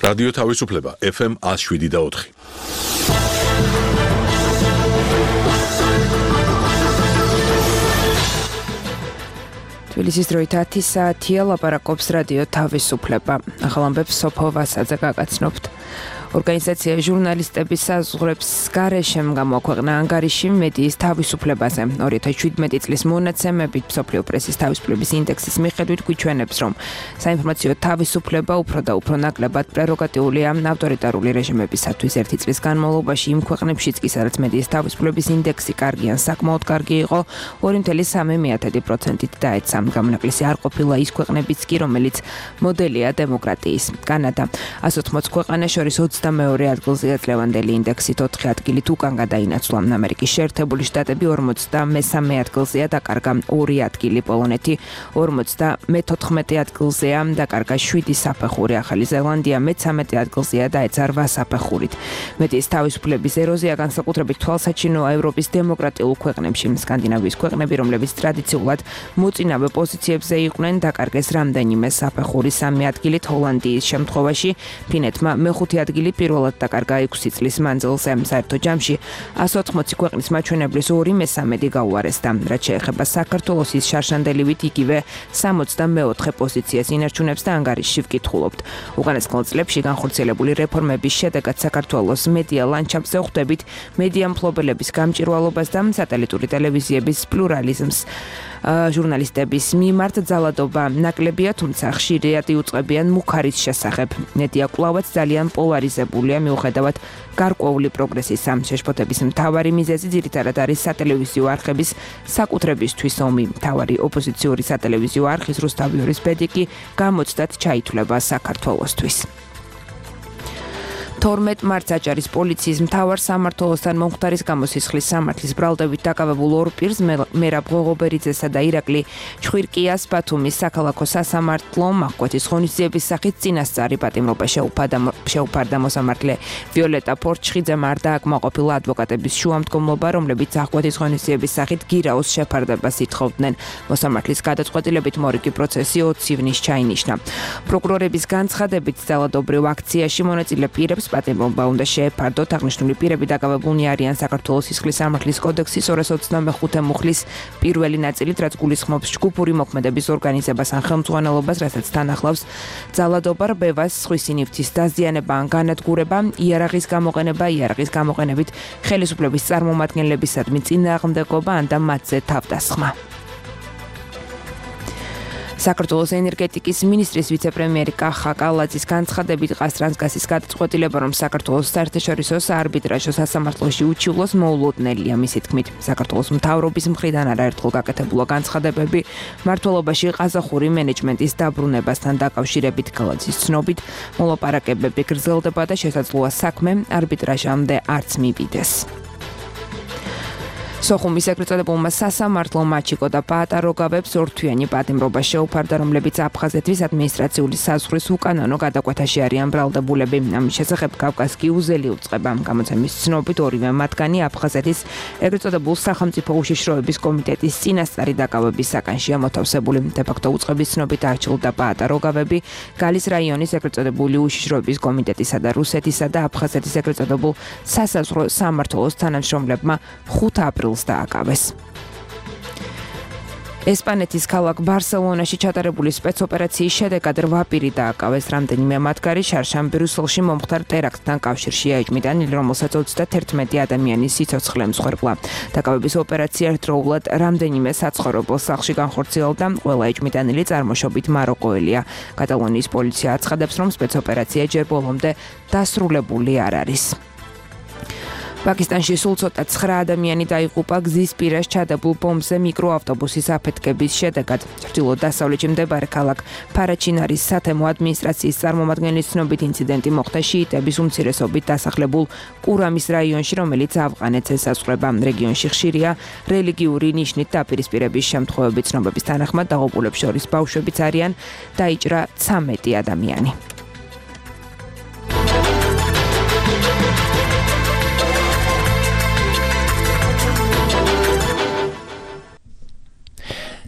რადიო თავისუფლება FM 107.4. თბილისის დროით 10 საათია, ლაპარაკობს რადიო თავისუფლება. ახალ ამბებს სოფო ვასაძე გაგაცნობთ. ორგანიზაცია ჟურნალისტების საზღვრებს გარეშე გამოაქვეყნა ანგარიში მედიის თავისუფლებაზე. 2017 წლის მონაცემებით მსოფლიო პრესის თავისუფლების ინდექსის მიხედვით გვიჩვენებს, რომ საინფორმაციო თავისუფლება უფრო და უფრო ნაკლებად პრეროგატიულია ავტორიტარული რეჟიმებისათვის. ერთი წლის განმავლობაში იმ ქვეყნებშიც კი, სადაც მედიის თავისუფლების ინდექსი კარგი ან საკმაოდ კარგი იყო, 2.3%-ით დაეცა. გამონაკლისი არ ყოფილა ის ქვეყნებიც კი, რომელიც მოდელია დემოკრატიის. კანადა 180 ქვეყანას შორის 22 ადგილზეა წლევანდელი ინდექსით, 4 ადგილით უკან გადაინაცვლა. ამერიკის შეერთებული შტატები 53 ადგილზეა დაკარგა 2 ადგილი, პოლონეთი 54 ადგილზეა დაკარგა 7 საფეხური, ახალი ზელანდია 13 ადგილზეა დაეცა 8 საფეხურით. მედიის თავისუფლების ეროზია განსაკუთრებით თვალსაჩინოა ევროპის დემოკრატიულ ქვეყნებში. სკანდინავიის ქვეყნები, რომლებიც ტრადიციულად მოწინავე პოზიციებზე იყვნენ, დაკარგეს რამდენიმე საფეხური, 3 ადგილით, ჰოლანდიის შემთხვევაში ფინეთმა მე-5 ადგილი პირველად დაკარგა 6 წლის მანძილზე. საერთო ჯამში 180 ქვეყნის მაჩვენებლის 2/3 გაუარესდა. რაც შეეხება საქართველოს, ის შარშანდელივით იგივე 64 პოზიციას ინარჩუნებს და ანგარიშში ვკითხულობთ. უკანასკნელ წლებში განხორციელებული რეფორმების შედეგად საქართველოს მედია ლანდშაფტზე ხვდებით მედია მფლობელების გამჭირვალობას და სატელიტური ტელევიზიების პლურალიზმს. ჟურნალისტების მიმართ ძალადობა ნაკლებია, თუმცა ხშირად იუწყებიან მუქარის შესახებ. მედია კვლავაც ძალიან პოლარიზებულია, მიუხედავად გარკვეული პროგრესისა. შეშფოთების მთავარი მიზეზი ძირითადად არის სატელევიზიო არხების საკუთრებისთვის ომი. მთავარი ოპოზიციური სატელევიზიო არხის რუსთავიორის ბედი კი გამოცდად ჩაითვლება საქართველოსთვის. 12 მარტს აჭარის პოლიციის მთავარ სამმართველოსთან მომხდარის გამოსისხლის სამართლის ბრალდებით დაკავებულ ორ პირს, მერაბ ღოღობერიძესა და ირაკლი ჩხვირკიას ბათუმის საქალაქო სასამართლო მახკვეთის ღონისძიების სახით წინასწარი პატიმრობა შეუფარდა. მოსამართლე ვიოლეტა ფორჩხიძემ არ დააკმაყოფილა ადვოკატების შუამდგომლობა, რომლებიც აღკვეთის ღონისძიების სახით გირაოს შეფარდებას ითხოვდნენ. მოსამართლის გადაწყვეტილებით მორიგი პროცესი 20 ივნისს ჩაინიშნა. პროკურორების განცხადებით ძალადობრივ აქციაში მონაწილე პირებს პატიმრობა უნდა შეეფარდოთ. აღნიშნული პირები დაკავებულნი არიან საქართველოს სისხლის სამართლის კოდექსის 225 მუხლის პირველი ნაწილით, რაც გულისხმობს ჯგუფური მოქმედების ორგანიზებას ან ხელმძღვანელობას, რასაც თან ახლავს ძალადობა, რბევას, სხვისი ნივთის დაზიანება ან განადგურება, იარაღის გამოყენება, იარაღის გამოყენებით ხელისუფლების წარმომადგენლებისადმი წინააღმდეგობა ან და მათზე თავდასხმა. საქართველოს ენერგეტიკის მინისტრის ვიცე-პრემიერი კახა კალაძის განცხადებით ყაზტრანსგაზის გადაწყვეტილება, რომ საქართველოს საერთაშორისო საარბიტრაჟო სასამართლოში უჩივლოს მოულოდნელია. მისი თქმით, საქართველოს მთავრობის მხრიდან არაერთხელ გაკეთებულა განცხადებები მმართველობაში ყაზახური მენეჯმენტის დაბრუნებასთან დაკავშირებით. კალაძის ცნობით, მოლაპარაკებები გრძელდება და შესაძლოა საქმე არბიტრაჟამდე არც მივიდეს. სოხუმის ეგრეთ წოდებულმა სასამართლომ მაჩიკო და პაატაროგავებს ორთვიანი პატიმრობა შეუფარდა, რომლებიც აფხაზეთის ადმინისტრაციული საზღვრის უკანონო გადაკვეთაში არიან ბრალდებულები. ამის შესახებ კავკას გიუზელი უწყება. გამოცემის ცნობით, ორივე მათგანი აფხაზეთის ეგრეთ წოდებულ სახელმწიფო უშიშროების კომიტეტის წინასწარი დაკავების საკანშია მოთავსებული. დე-ფაქტო უწყების ცნობით არჩილდა პაატაროგავები გალის რაიონის ეგრეთ წოდებული უშიშროების კომიტეტისა და რუსეთისა და აფხაზეთის ეგრეთ წოდებულ სასაზღვრო სამმართველოს თანამშრომლებმა 5 აპრილს დააკავეს. ესპანეთის ქალაქ ბარსელონაში ჩატარებული სპეცოპერაციის შედეგად 8 პირი დააკავეს. რამდენიმე მათგანი შარშან ბრიუსელში მომხდარ ტერაქტთან კავშირშია ეჭმიდანილი, რომელსაც 31 ადამიანის სიცოცხლე მსხვერპლა. დაკავების ოპერაცია ერთდროულად რამდენიმე საცხოვრებელ სახლში განხორციელდა. ყველა ეჭმიდანილი წარმოშობით მაროკოელია. კატალონიის პოლიცია აცხადებს, რომ სპეცოპერაცია ჯერ ბოლომდე დასრულებული არ არის. პაკისტანში სულ ცოტა 9 ადამიანი დაიღუპა გზის პირას ჩადებულ ბომბზე მიკროავტობუსის აფეთქების შედეგად. ჩრდილო-დასავლეთში მდებარე ქალაქ ფარაჩინარის სათემო ადმინისტრაციის წარმომადგენლის ცნობით, ინციდენტი მოხდა შიიტების უმცირესობით დასახლებულ კურამის რაიონში, რომელიც ავღანეთს ესაზღვრება. რეგიონში ხშირია რელიგიური ნიშნით დაპირისპირების შემთხვევები. ცნობების თანახმად დაღუპულებს შორის ბავშვებიც არიან, დაიჭრა 13 ადამიანი.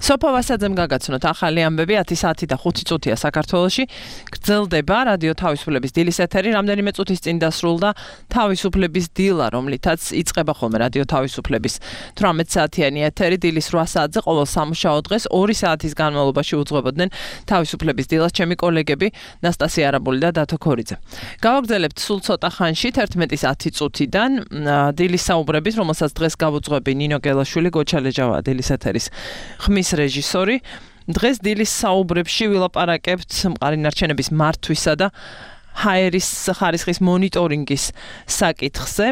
სოფო ვასაძემ გაგაცნოთ ახალი ამბები 10 საათი და 5 წუთია საქართველოში. გრძელდება რადიო თავისუფლების დილის ეთერი, რამდენიმე წუთის წინ დასრულდა თავისუფლების დილა, რომლითაც იწყება ხოლმე რადიო თავისუფლების 18 საათიანი ეთერი დილის 8 საათზე ყოველ სამუშაო დღეს 2 საათის განმავლობაში უძღვებოდნენ თავისუფლების დილას ჩემი კოლეგები ნასტასია არაბული და დათო ქორიძე. გავაგრძელებთ სულ ცოტა ხანში 11-ის 10 წუთიდან დილის საუბრების, რომელსაც დღეს გავუძღვები ნინო გელაშვილი, გოჩალეჯავა დილის ეთერის ხმის რეჟისორი. დღეს დილის საუბრებში ვილაპარაკებთ მყარი ნარჩენების მართვისა და ჰაერის ხარისხის მონიტორინგის საკითხზე.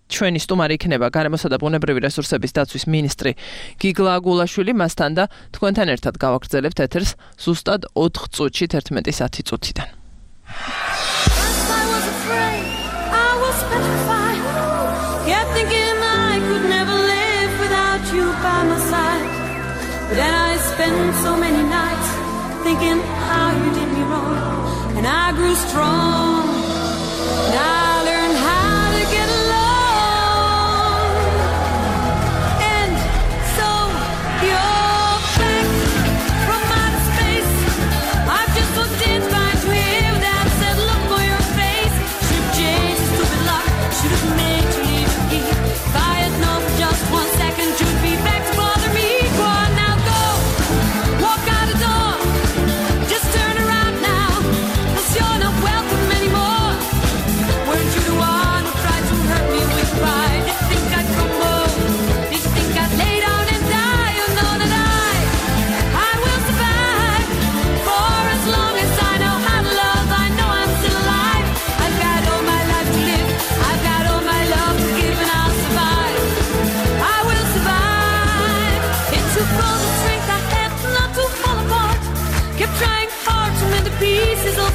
ჩვენი სტუმარი იქნება გარემოსა და ბუნებრივი რესურსების დაცვის მინისტრი გიგლა აგულაშვილი, მასთან და თქვენთან ერთად გავაგრძელებთ ეთერს ზუსტად 4 წუთში 11-ის 10 წუთიდან. Then I spent so many nights thinking how you did me wrong, and I grew strong, and I learned how to get along, and so you're back from outer space. I've just looked in, find you here without said look for your face. Should've changed stupid luck, should've made you leave the key. If I had known for just 1 second you'd be back to bother me.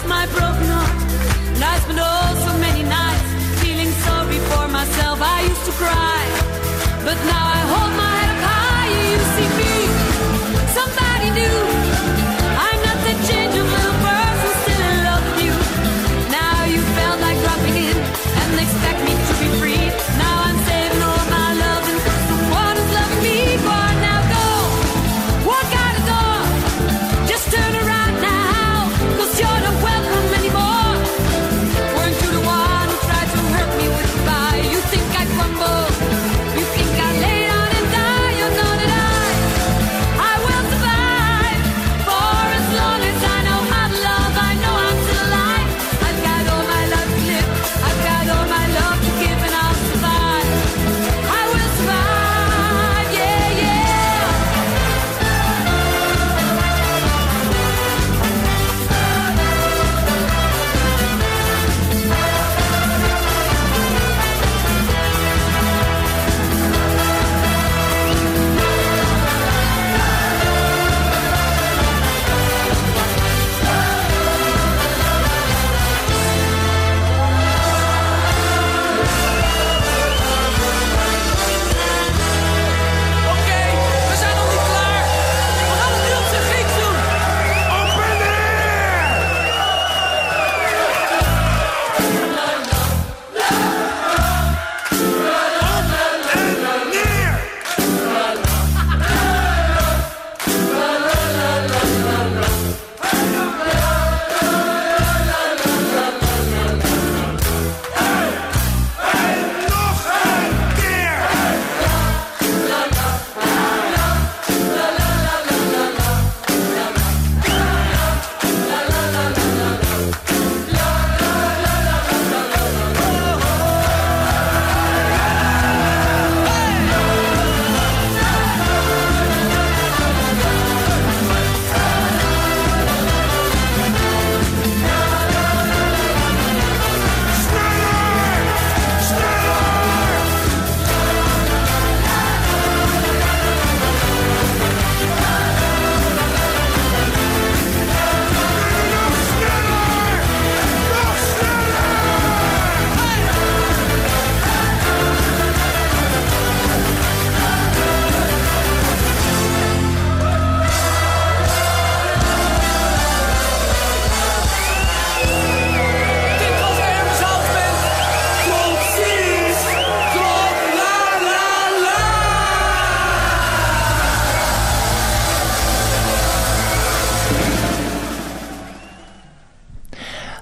My broken heart, and I spent so many nights feeling sorry for myself. I used to cry, but now I hold my head up high. You see me, somebody new. I'm not that changeable little person still in love with you. Now you felt like dropping in and expect me to be free. Now I'm saving all my love and the one who's loving me for. Now go, walk out the door, just turn around now, 'cause you're not welcome anymore. Weren't you the one who tried to hurt me with goodbye? You think I crumble, you think I lay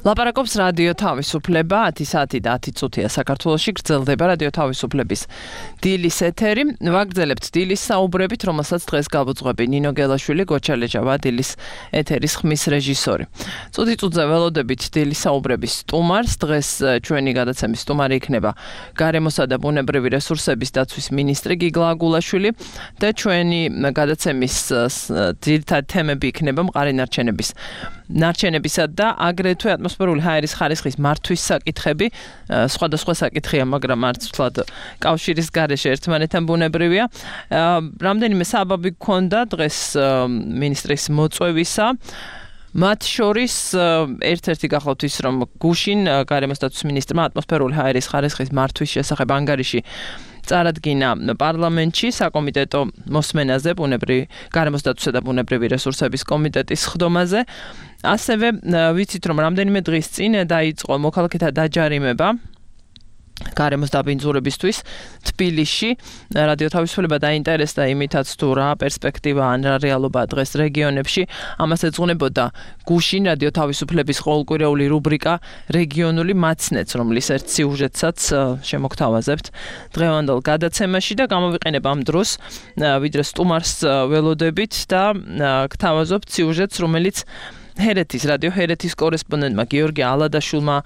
ლაპარაკობს რადიო თავისუფლება 10 საათი და 10 წუთია საქართველოში გრძელდება რადიო თავისუფლების დილის ეთერი. ვაგრძელებთ დილის საუბრებით, რომელსაც დღეს გავუძღვები ნინო გელაშვილი, გოჩალეჯავა დილის ეთერის ხმის რეჟისორი. წუთი-წუთზე ველოდებით დილის საუბრების სტუმარს. დღეს ჩვენი გადაცემის სტუმარი იქნება გარემოსა და ბუნებრივი რესურსების დაცვის მინისტრი გიგლა აგულაშვილი და ჩვენი გადაცემის ძირითადი თემები იქნება მყარი ნარჩენებისა და აგრეთვე ატმოსფერული ჰაერის ხარისხის მართვის საკითხები, სხვადასხვა საკითხია, მაგრამ მართლად კავშირის გარეშე ერთმანეთთან ბუნებრივია. რამდენიმე საბაბი გქონდა დღეს მინისტრის მოწვევისა. მათ შორის ერთ-ერთი გახლავთ ის, რომ გუშინ გარემოს დაცვის მინისტრმა ატმოსფერული ჰაერის ხარისხის მართვის შესახებ ანგარიში წარადგინა პარლამენტში საკომიტეტო მოსმენაზე, გარემოს დაცვისა და ბუნებრივი რესურსების კომიტეტის სხდომაზე. ასევე ვიცით, რომ რამდენიმე დღის წინ დაიწყო მოქალაქეთა დაჯარიმება გარემოს დაბინძურებისთვის თბილისში. რადიო თავისუფლება დაინტერესდა იმითაც თუ რა პერსპექტივა ან რა რეალობა დღეს რეგიონებში. ამას ეძღვნებოდა გუშინ რადიო თავისუფლების ყოველკვირეული რუბრიკა რეგიონული მაცნეც, რომლის ერთ სიუჟეტსაც შემოგთავაზებთ დღევანდელ გადაცემაში და გამოვიყენებ ამ დროს, ვიდრე სტუმარს ველოდებით და გთავაზობთ სიუჟეტს, რომელიც რადიო ჰერეთის კორესპონდენტმა გიორგი ალადაშვილმა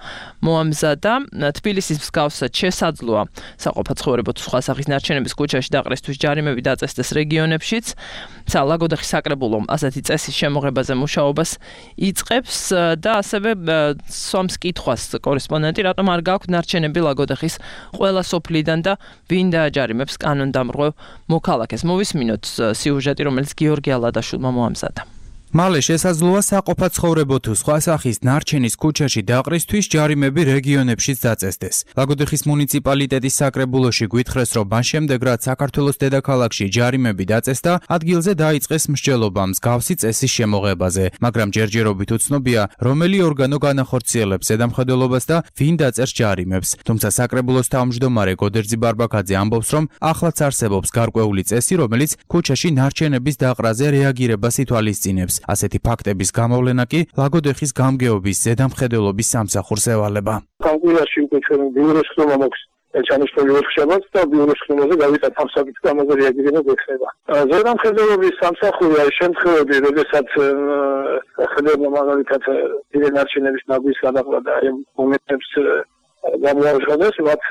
მოამზადა. თბილისის მსგავსად შესაძლოა საყოფაცხოვრებო თუ სხვა სახის ნარჩენების ქუჩაში დაყრისთვის ჯარიმები დაწესდეს რეგიონებშიც. ლაგოდეხის საკრებულო ასეთი წესის შემოღებაზე მუშაობას იწყებს და ასევე სვამს კითხვას კორესპონდენტი, რატომ არ გაქვთ ნარჩენები ლაგოდეხის ყველა სოფლიდან და ვინ დააჯარიმებს კანონდამრღვევ მოქალაქეს. მოვისმინოთ სიუჟეტი, რომელიც გიორგი ალადაშვილმა მოამზადა. მალე შესაძლოა საყოფაცხოვრებო თუ სხვა სახის ნარჩენის ქუჩაში დაყრისთვის ჯარიმები რეგიონებშიც დაწესდეს. ლაგოდეხის მუნიციპალიტეტის საკრებულოში გვითხრეს, რომ მას შემდეგ, რაც საქართველოს დედაქალაქში ჯარიმები დაწესდა, ადგილზე დაიწყეს მსჯელობა მსგავსი წესის შემოღებაზე, მაგრამ ჯერჯერობით უცნობია, რომელი ორგანო განახორციელებს ზედამხედველობას და ვინ დაწერს ჯარიმებს. თუმცა საკრებულოს თავმჯდომარე გოდერძი ბარბაკაძე ამბობს, რომ ახლაც არსებობს გარკვეული წესი, რომელიც ქუჩაში ნარჩენების დაყრაზე რეაგირებას ითვალისწინებს. ასეთი ფაქტების გამოვლენა კი ლაგოდეხის გამგეობის ზედამხედველობის სამსახურს ევალება. კანკულაში უკვე ჩვენ ბიუროს ხდომა მოქს ჩანიშნული ვერქშაბაც და ბიუროს ხდომაზე გავიტანთ ამ საკითხს, ამაზე რეაგირება გვექნება. ზედამხედველობის სამსახური არის შემთხვევები, როდესაც ხედავდა მაგალითად დიდი ნარჩენების ნაგვის გადაყრა და ამ მომენტებს გამოაჟღავდეს, მათ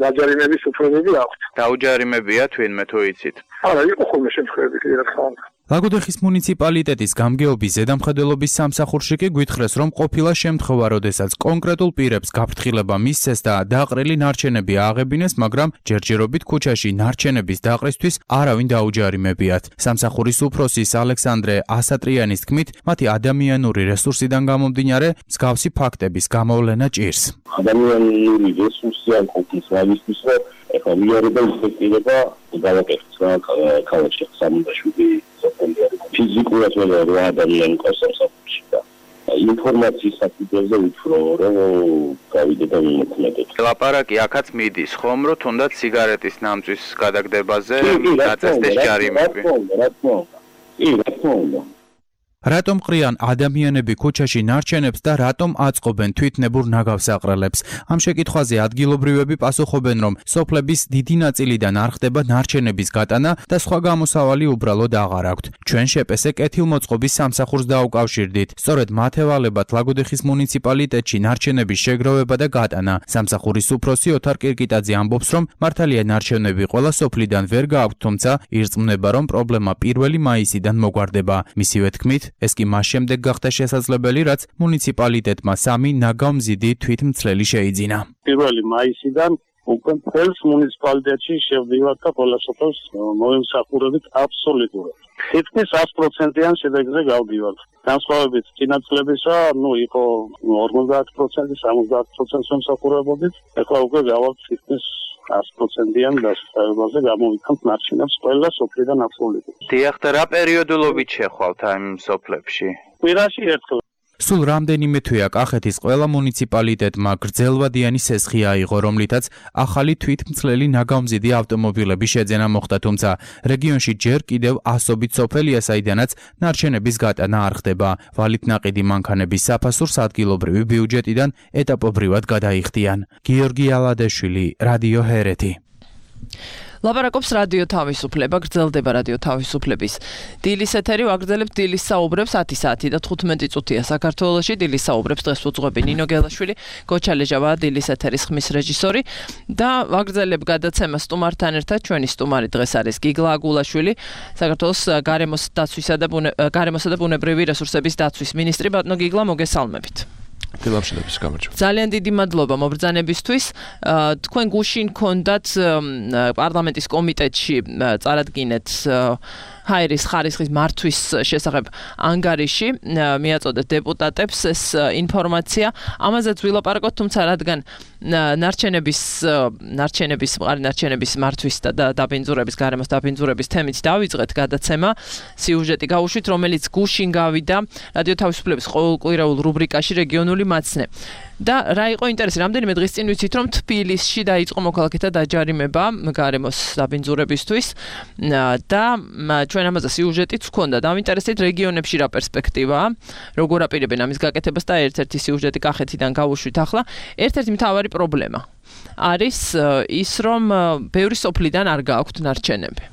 დაჯარიმების უფლებები აქვთ. დაუჯარიმებიათ ვინმე თუ იცით? არა, იყო ხოლმე შემთხვევები, კი რა თქმა უნდა. ლაგოდეხის მუნიციპალიტეტის გამგეობის ზედამხედველობის სამსახურში კი გვითხრეს, რომ ყოფილა შემთხვევა, როდესაც კონკრეტულ პირებს გაფრთხილება მისცეს და დაყრილი ნარჩენები ააღებინეს, მაგრამ ჯერჯერობით ქუჩაში ნარჩენების დაყრისთვის არავინ დაუჯარიმებიათ. სამსახურის უფროსის ალექსანდრე ასატრიანის თქმით, მათი ადამიანური რესურსიდან გამომდინარე, მსგავსი ფაქტების გამოვლენა ჭირს. ადამიანური რესურსი არ ყოფნის მაგისთვის, რომ ეხლა ვიარება ინსპექტირება გავაკეთეთ რა ქალაქში 77 ფიზიკურად რა ადამიანი ყავს სამსახურში და ინფორმაციის საფუძველზე ვთქვა, რომ გავიდე და ვიმოქმედებ. ლაპარაკი აქაც მიდის ხომ, რომ თუნდაც სიგარეტის ნამწვის გადაგდებაზე დაწესდეს ჯარიმები. რა თქმა უნდა. რატომ ყრიან ადამიანები ქუჩაში ნარჩენებს და რატომ აწყობენ თვითნებურ ნაგავსაყრელებს? ამ შეკითხვაზე ადგილობრივები პასუხობენ, რომ სოფლების დიდი ნაწილიდან არ ხდება ნარჩენების გატანა და სხვა გამოსავალი უბრალოდ აღარ აქვთ. ჩვენ შეპესე კეთილმოწყობის სამსახურს დაუკავშირდით. სწორედ მათ ევალებათ ლაგოდეხის მუნიციპალიტეტში ნარჩენების შეგროვება და გატანა. სამსახურის უფროსი ოთარ კირკიტაძე ამბობს, რომ მართალია ნარჩენები ყველა სოფლიდან ვერ გააქვთ, თუმცა ირწმუნება, რომ პრობლემა 1 მაისიდან მოგვარდება. მისივე თქმით, ეს კი მას შემდეგ გახდა შესაძლებელი, რაც მუნიციპალიტეტმა 3 ნაგავმზიდი თვითმცლელი შეიძინა. 1 მაისიდან უკვე მთელს მუნიციპალიტეტში შევდივართ და ყველა სოფელს მოვიმსახურებით აბსოლუტურად. თითქმის 100%-იან შედეგზე გავდივართ. განსხვავებით წინაწლებისა, იყო 50%, 70%-ს ვიმსახურებოდით, ეხლა უკვე გავართ თითქმის 100%-იან დასწრებაზე გამოვიქანთ ნარჩენებს ყველა სოფლიდან აბსოლუტურად. დიახ, და რა პერიოდულობით შეხვალთ ამ სოფლებში? კვირაში ერთხელ. სულ რამდენიმე თვეა კახეთის ყველა მუნიციპალიტეტმა გრძელვადიანი სესხი აიღო, რომლითაც ახალი თვითმცლელი ნაგავმზიდი ავტომობილების შეძენა მოხდა, თუმცა რეგიონში ჯერ კიდევ ასობით სოფელია, საიდანაც ნარჩენების გატანა არ ხდება. ვალით ნაყიდი მანქანების საფასურს ადგილობრივი ბიუჯეტიდან ეტაპობრივად გადაიხდიან. გიორგი ალადეშვილი, რადიო ჰერეთი. ლაპარაკობს რადიო თავისუფლება, გრძელდება რადიო თავისუფლების დილის ეთერი, ვაგრძელებთ დილის საუბრებს 10 საათი და 15 წუთია საქართველოში. დილის საუბრებს დღეს უძღვები ნინო გელაშვილი, გოჩა ლეჟავა, დილის ეთერის ხმის რეჟისორი და ვაგრძელებ გადაცემას სტუმართან ერთად. ჩვენი სტუმარი დღეს არის გიგლა აგულაშვილი, საქართველოს გარემოსა და ბუნებრივი რესურსების დაცვის მინისტრი. ბატონო გიგლა, მოგესალმებით. დილამშვიდობის გამარჯობა. ძალიან დიდი მადლობა მობრძანებისთვის. თქვენ გუშინ გქონდათ პარლამენტის კომიტეტში წარადგინეთ ჰაერის ხარისხის მართვის შესახებ ანგარიში, მიაწოდეთ დეპუტატებს ეს ინფორმაცია. ამაზეც ვილაპარაკოთ, თუმცა რადგან ნარჩენების მართვის და დაბინძურების, გარემოს დაბინძურების თემით დავიწყეთ გადაცემა, სიუჟეტი გავუშვით, რომელიც გუშინ გავიდა რადიო თავისუფლების ყოველკვირეულ რუბრიკაში რეგიონული მაცნე. და რა იყო ინტერესი, რამდენიმე დღის წინ ვიცით, რომ თბილისში დაიწყო მოქალაქეთა დაჯარიმება გარემოს დაბინძურებისთვის და ჩვენ ამაზე სიუჟეტიც გვქონდა. დავინტერესდით რეგიონებში რა პერსპექტივაა, როგორ აპირებენ ამის გაკეთებას და ერთ-ერთი სიუჟეტი კახეთიდან გავუშვით ახლა. ერთ-ერთი მთავარი პრობლემა არის ის, რომ ბევრი სოფლიდან არ გააქვთ ნარჩენები.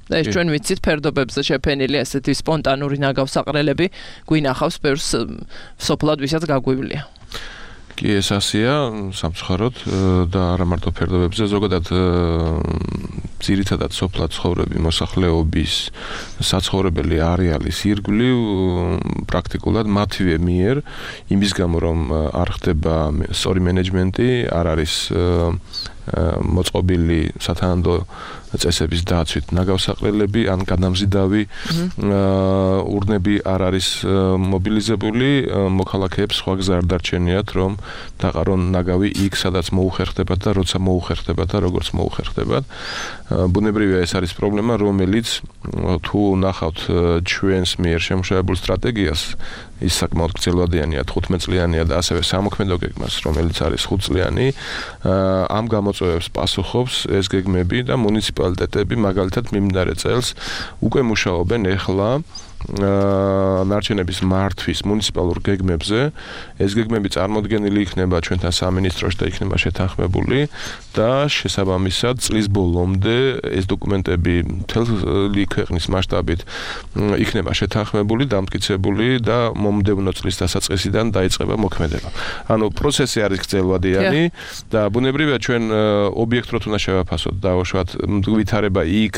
და ეს ჩვენ ვიცით, ფერდობებზე შეფენილი ესეთი სპონტანური ნაგავსაყრელები გვინახავს ბევრს სოფლად, ვისაც გაგვივლია. კი, ეს ასია სამწუხაროდ და არა მარტო ფერდობებზე, ზოგადად ძირითადად სოფლად ცხოვრები მოსახლეობის საცხოვრებელი არეალის ირგვლივ პრაქტიკულად მათივე მიერ, იმის გამო რომ არ ხდება სწორი მენეჯმენტი, არ არის მოწყობილი სათანადო წესების დაცვით ნაგავსაყრელები ან გადამზიდავი ურნები არ არის მობილიზებული, მოქალაქეებს სხვა გზა არ დარჩენიათ, რომ დაყარონ ნაგავი იქ, სადაც მოუხერხდებათ და როცა მოუხერხდებათ და როგორც მოუხერხდებათ. ბუნებრივია ეს არის პრობლემა, რომელიც თუ ნახავთ ჩვენს მიერ შემუშავებულ სტრატეგიას, ის საკმაოდ გრძელვადიანია, 15 წლიანია და ასევე სამოქმედო გეგმას, რომელიც არის 5 წლიანი, ამ გამოწვევებს პასუხობს ეს გეგმები და მუნიციპალიტეტები მაგალითად მიმდინარე წელს უკვე მუშაობენ ეხლა ნარჩენების მართვის მუნიციპალურ გეგმებზე. ეს გეგმები წარმოდგენილი იქნება ჩვენთან სამინისტროში და იქნება შეთანხმებული და შესაბამისად წლის ბოლომდე ეს დოკუმენტები მთელი ქვეყნის მასშტაბით იქნება შეთანხმებული, დამტკიცებული და მომდევნო წლის დასაწყისიდან დაიწყება მოქმედება. ანუ პროცესი არის გრძელვადიანი და ბუნებრივია ჩვენ ობიექტურად უნდა შევაფასოთ, დავუშვათ ვითარება იქ,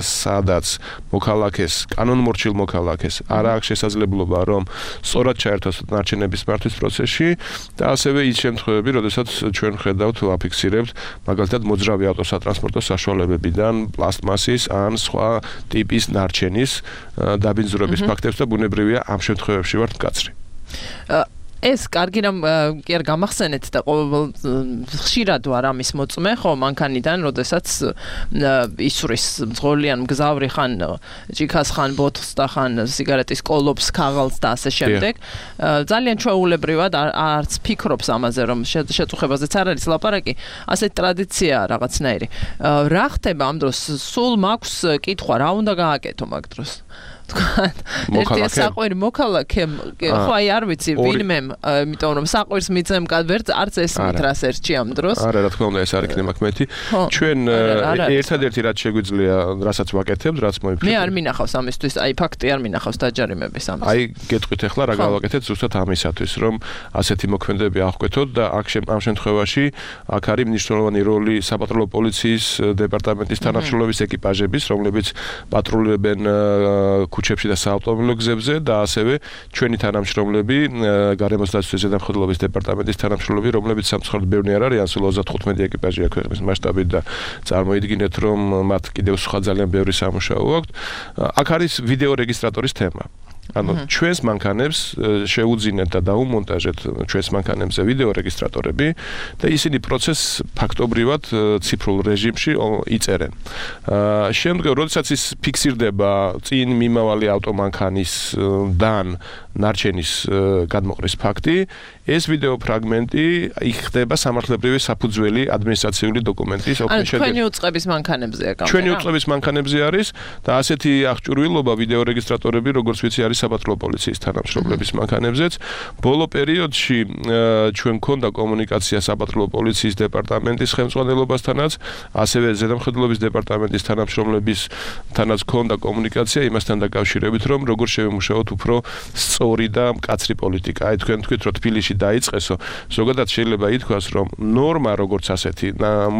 სადაც მოქალაქეს კანონმორჩილ მოქალაქეს არ აქვს შესაძლებლობა რომ სწორად ჩაერთოს ნარჩენების მართვის პროცესში და ასევე ის შემთხვევები, როდესაც ჩვენ ხედავთ, ვაფიქსირებთ მაგალითად მოძრავი ავტოსატრანსპორტო საშუალებებიდან პლასტმასის ან სხვა ტიპის ნარჩენის დაბინძურების ფაქტებს და ბუნებრივია ამ შემთხვევებში ვართ მკაცრი. ეს კარგი რამ კი არ გამახსენეთ და ხშირად ვარ ამის მოწმე, ხო, მანქანიდან, როდესაც ისვრის მძღოლიან მგზავრი ხან ჭიქას ხან ბოთლს და ხან სიგარეტის კოლოფს, ქაღალდს და ასე შემდეგ. ძალიან ჩვეულებრივად არც ფიქრობს ამაზე, რომ შეწუხებაზეც არ არის ლაპარაკი, ასეთი ტრადიციაა რაღაცნაირი. რა ხდება ამ დროს? სულ მაქვს კითხვა, რა უნდა გააკეთო მაგ დროს? ერთი საყვირი მოქალაქემ, ხო აი არ ვიცი ვინმემ, იმიტომ რომ საყვირს მიწემ არც ესმით რას ერჩი ამ დროს. არა, რა თქმა უნდა, ეს არ იქნება კმეთი. ჩვენ ერთადერთი რაც შეგვიძლია, რასაც ვაკეთებთ, რაც მოიფიქრეთ. მე არ მინახავს ამისთვის, აი ფაქტი არ მინახავს დაჯარიმების ამის. აი გეტყვით ახლა რა გავაკეთეთ ზუსტად ამისათვის, რომ ასეთი მოქმედებები აღკვეთოთ და ამ შემთხვევაში აქ არის მნიშვნელოვანი როლი საპატრულო პოლიციის დეპარტამენტის თანამშრომლობის ეკიპაჟების, რომლებიც პატრულებენ ქუჩებში და საავტომობილო გზებზე და ასევე ჩვენი თანამშრომლები, გარემოს დაცვის ზედამხედველობის დეპარტამენტის თანამშრომლები, რომლებიც სამწუხაროდ ბევრი არ არიან, სულ 35 ეკიპაჟია ქვეყნის მასშტაბით და წარმოიდგინეთ, რომ მათ კიდევ სხვა ძალიან ბევრი სამუშაო აქვთ. აქ არის ვიდეო რეგისტრატორის თემა. ანუ ჩვენს მანქანებს შეუძინეთ და დაუმონტაჟეთ ჩვენს მანქანებზე ვიდეო რეგისტრატორები და ისინი პროცესს ფაქტობრივად ციფრულ რეჟიმში იწერენ. შემდგომ როდესაც ის ფიქსირდება წინ მიმავალი ავტომანქანისგან ნარჩენის გადმოყრის ფაქტი, ეს ვიდეო ფრაგმენტი ხდება სამართლებრივი საფუძველი ადმინისტრაციული დოკუმენტის ოფიციალური. ჩვენი უწყების მანქანებზეა გამო. ჩვენი უწყების მანქანებზე არის და ასეთი აღჭურვილობა ვიდეო რეგისტრატორები, როგორც ვიცი, არის საბატლო პოლიციის თანამშრომლების მანქანებზეც. ბოლო პერიოდში ჩვენ გქონდა კომუნიკაცია საბატლო პოლიციის დეპარტამენტის ხელმძღვანელობასთანაც, ასევე ზედამხედველობის დეპარტამენტის თანამშრომლებისთანაც გქონდა კომუნიკაცია იმასთან დაკავშირებით, რომ როგორ შევემუშაოთ უფრო სწორი და მკაცრი პოლიტიკა. აი თქვენ თქვით, რომ თბილისში დაიწყესო, ზოგადად შეიძლება ითქვას, რომ ნორმა როგორც ასეთი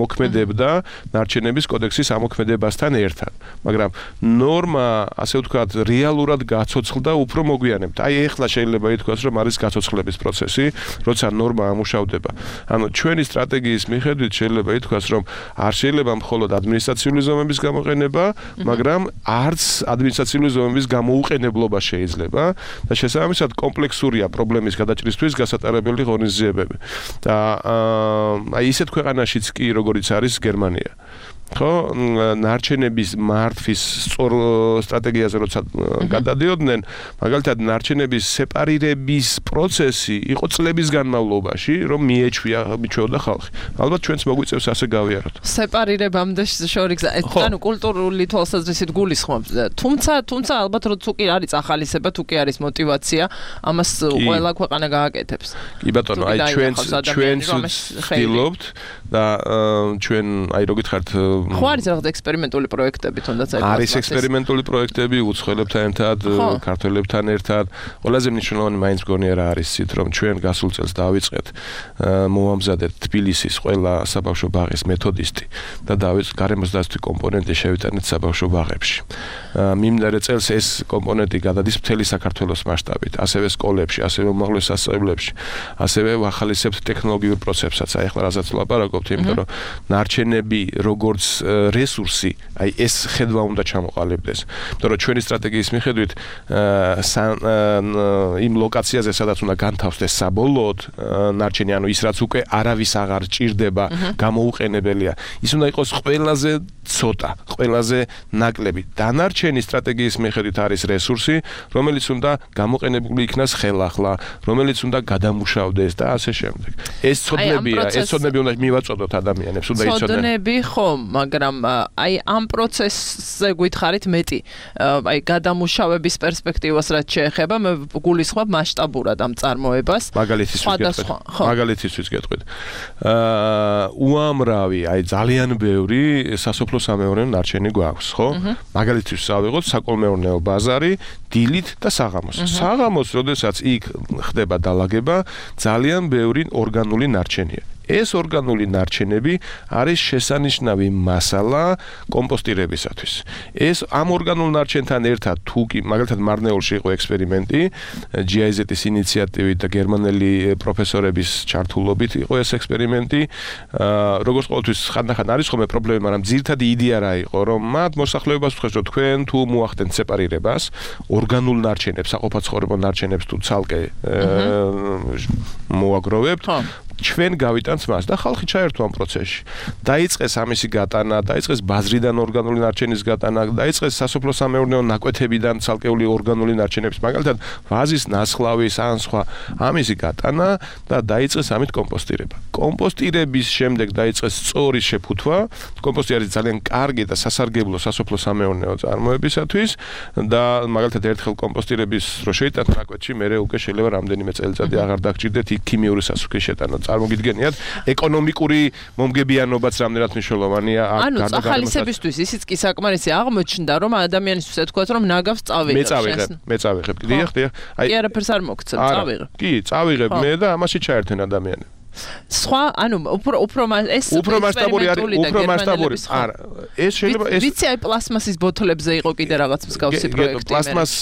მოქმედებდა ნარჩენების კოდექსის ამოქმედებასთან ერთად, მაგრამ ნორმა, ასე ვთქვათ, რეალურად გაცოცხლდა უფრო მოგვიანებით. აი ეხლა შეიძლება ითქვას, რომ არის გაცოცხლების პროცესი, როცა ნორმა ამუშავდება. ანუ ჩვენი სტრატეგიის მიხედვით შეიძლება ითქვას, რომ არ შეიძლება მხოლოდ ადმინისტრაციული ზომების გამოყენება, მაგრამ არც ადმინისტრაციული ზომების გამოუყენებლობა შეიძლება და შესაბამისად კომპლექსურია პრობლემის გადაჭრისთვის გასატარებელი ღონისძიებები. და აი ისეთ ქვეყანაშიც კი, როგორიც არის გერმანია. ხო, ნარჩენების მართვის სწორ სტრატეგიაზე როცა გადადიოდნენ, მაგალითად ნარჩენების სეპარირების პროცესი იყო წლების განმავლობაში, რომ მიეჩვეოდა ხალხი. ალბათ ჩვენც მოგვიწევს ასე გავიაროთ. სეპარირებამდე შორიგზა, ანუ კულტურული თვალსაზრისით გულისხმობ. თუმცა ალბათ რომ თუ კი არის ახალისება, თუ კი არის мотиваცია, ამას ყველა ქვეყანა გააკეთებს. კი ბატონო, აი ჩვენც ვცდილობთ და ჩვენ აი რო გითხართ ხო არის რაღაც ექსპერიმენტული პროექტები თუნდაც აი არის ექსპერიმენტული პროექტები უცხოელებთან ერთად, ქართველებთან ერთად. ყველაზე მნიშვნელოვანი მაინც მგონია რა არის იცით, რომ ჩვენ გასულ წელს დავიწყეთ მოვამზადეთ თბილისის ყველა საბავშვო ბაღის მეთოდისტი და გარემოს დაცვის კომპონენტი შევიტანეთ საბავშვო ბაღებში. მიმდინარე წელს ეს კომპონენტი გადადის მთელი საქართველოს მასშტაბით, ასევე სკოლებში, ასევე უმაღლეს სასწავლებლებში, ასევე ვახალისებთ ტექნოლოგიურ პროცესებსაც. აი ახლა რასაც ვლაპარაკობთ, იმიტომ რომ ნარჩენები როგორც რესურსი, აი ეს ხედვა უნდა ჩამოყალიბდეს. იმიტომ რომ ჩვენი სტრატეგიის მიხედვით იმ ლოკაციაზე, სადაც უნდა განთავსდეს საბოლოოდ ნარჩენი, ანუ ის რაც უკვე არავის აღარ ჭირდება, გამოუყენებელია, ის უნდა იყოს ყველაზე ცოტა, ყველაზე ნაკლები. დანარჩენი სტრატეგიის მიხედვით არის რესურსი, რომელიც უნდა გამოყენებული იქნას ხელახლა, რომელიც უნდა გადამუშავდეს და ასე შემდეგ. ეს ცოდნებია, ეს ცოდნები უნდა მივაწოდოთ ადამიანებს, უნდა იცოდნენ. ცოდნები ხო, მაგრამ აი ამ პროცესზე გითხარით მეტი, აი გადამუშავების პერსპექტივას რაც შეეხება, მე გულისხმობ მასშტაბურად ამ წარმოებას. მაგალითისთვის გეტყვით. უამრავი, აი ძალიან ბევრი სასოფლო-სამეურნეო ნარჩენი გვაქვს, ხო? მაგალითისთვის ავიღოთ საკოლმეურნეო ბაზარი, დილით და საღამოს. საღამოს, როდესაც იქ ხდება დალაგება, ძალიან ბევრი ორგანული ნარჩენია. ეს ორგანული ნარჩენები არის შესანიშნავი მასალა კომპოსტირებისათვის. ეს ამ ორგანულ ნარჩენთან ერთად თუ კი მაგალითად მარნეულში იყო ექსპერიმენტი, GIZ-ის ინიციატივით და გერმანელი პროფესორების ჩართულობით იყო ეს ექსპერიმენტი. როგორც ყოველთვის ხანდახან არის ხოლმე პრობლემა, მაგრამ ძირითადი იდეა რა იყო, რომ მათ მოსახლეობას ვთქვეს, რომ თქვენ თუ მოახდენთ სეპარირებას, ორგანულ ნარჩენებს, საყოფაცხოვრებო ნარჩენებს თუ ცალკე მოაგროვებთ, ჩვენ გავიტანთ მას და ხალხი ჩაერთვა ამ პროცესში. დაიწყეს ამისი გატანა, დაიწყეს ბაზრიდან ორგანული ნარჩენის გატანა, დაიწყეს სასოფლო-სამეურნეო ნაკვეთებიდან ცალკეული ორგანული ნარჩენების, მაგალითად ვაზის, ნასხლავის ან სხვა ამისი გატანა და დაიწყეს ამით კომპოსტირება. კომპოსტირების შემდეგ დაიწყეს სწორი შეფუთვა. კომპოსტი არის ძალიან კარგი და სასარგებლო სასოფლო-სამეურნეო წარმოებისათვის და მაგალითად ერთხელ კომპოსტირების რო შეიტანთ ნაკვეთში, მერე უკვე შეიძლება რამდენიმე წელიწადი აღარ დაგჭირდეთ იქ ქიმიური სასუქის შეტანა. წარმოგიდგენიათ, ეკონომიკური მომგებიანობაც რამდენად მნიშვნელოვანია აქ გარდა ახალისებისთვის ისიც კი საკმარისი აღმოჩნდა, რომ ადამიანისთვის ეთქვათ, რომ ნაგავს წავიღებ. მე წავიღებ. დიახ. აი არაფერს არ მოგცემ, წავიღებ. კი, წავიღებ მე და ამაში ჩაერთენ ადამიანები. სხვა, ანუ უფრო მასშტაბური არა, ეს შეიძლება ეს ვიცი აი პლასმასის ბოთლებზე იყო კიდე რაღაც მსგავსი პროექტი. პლასმას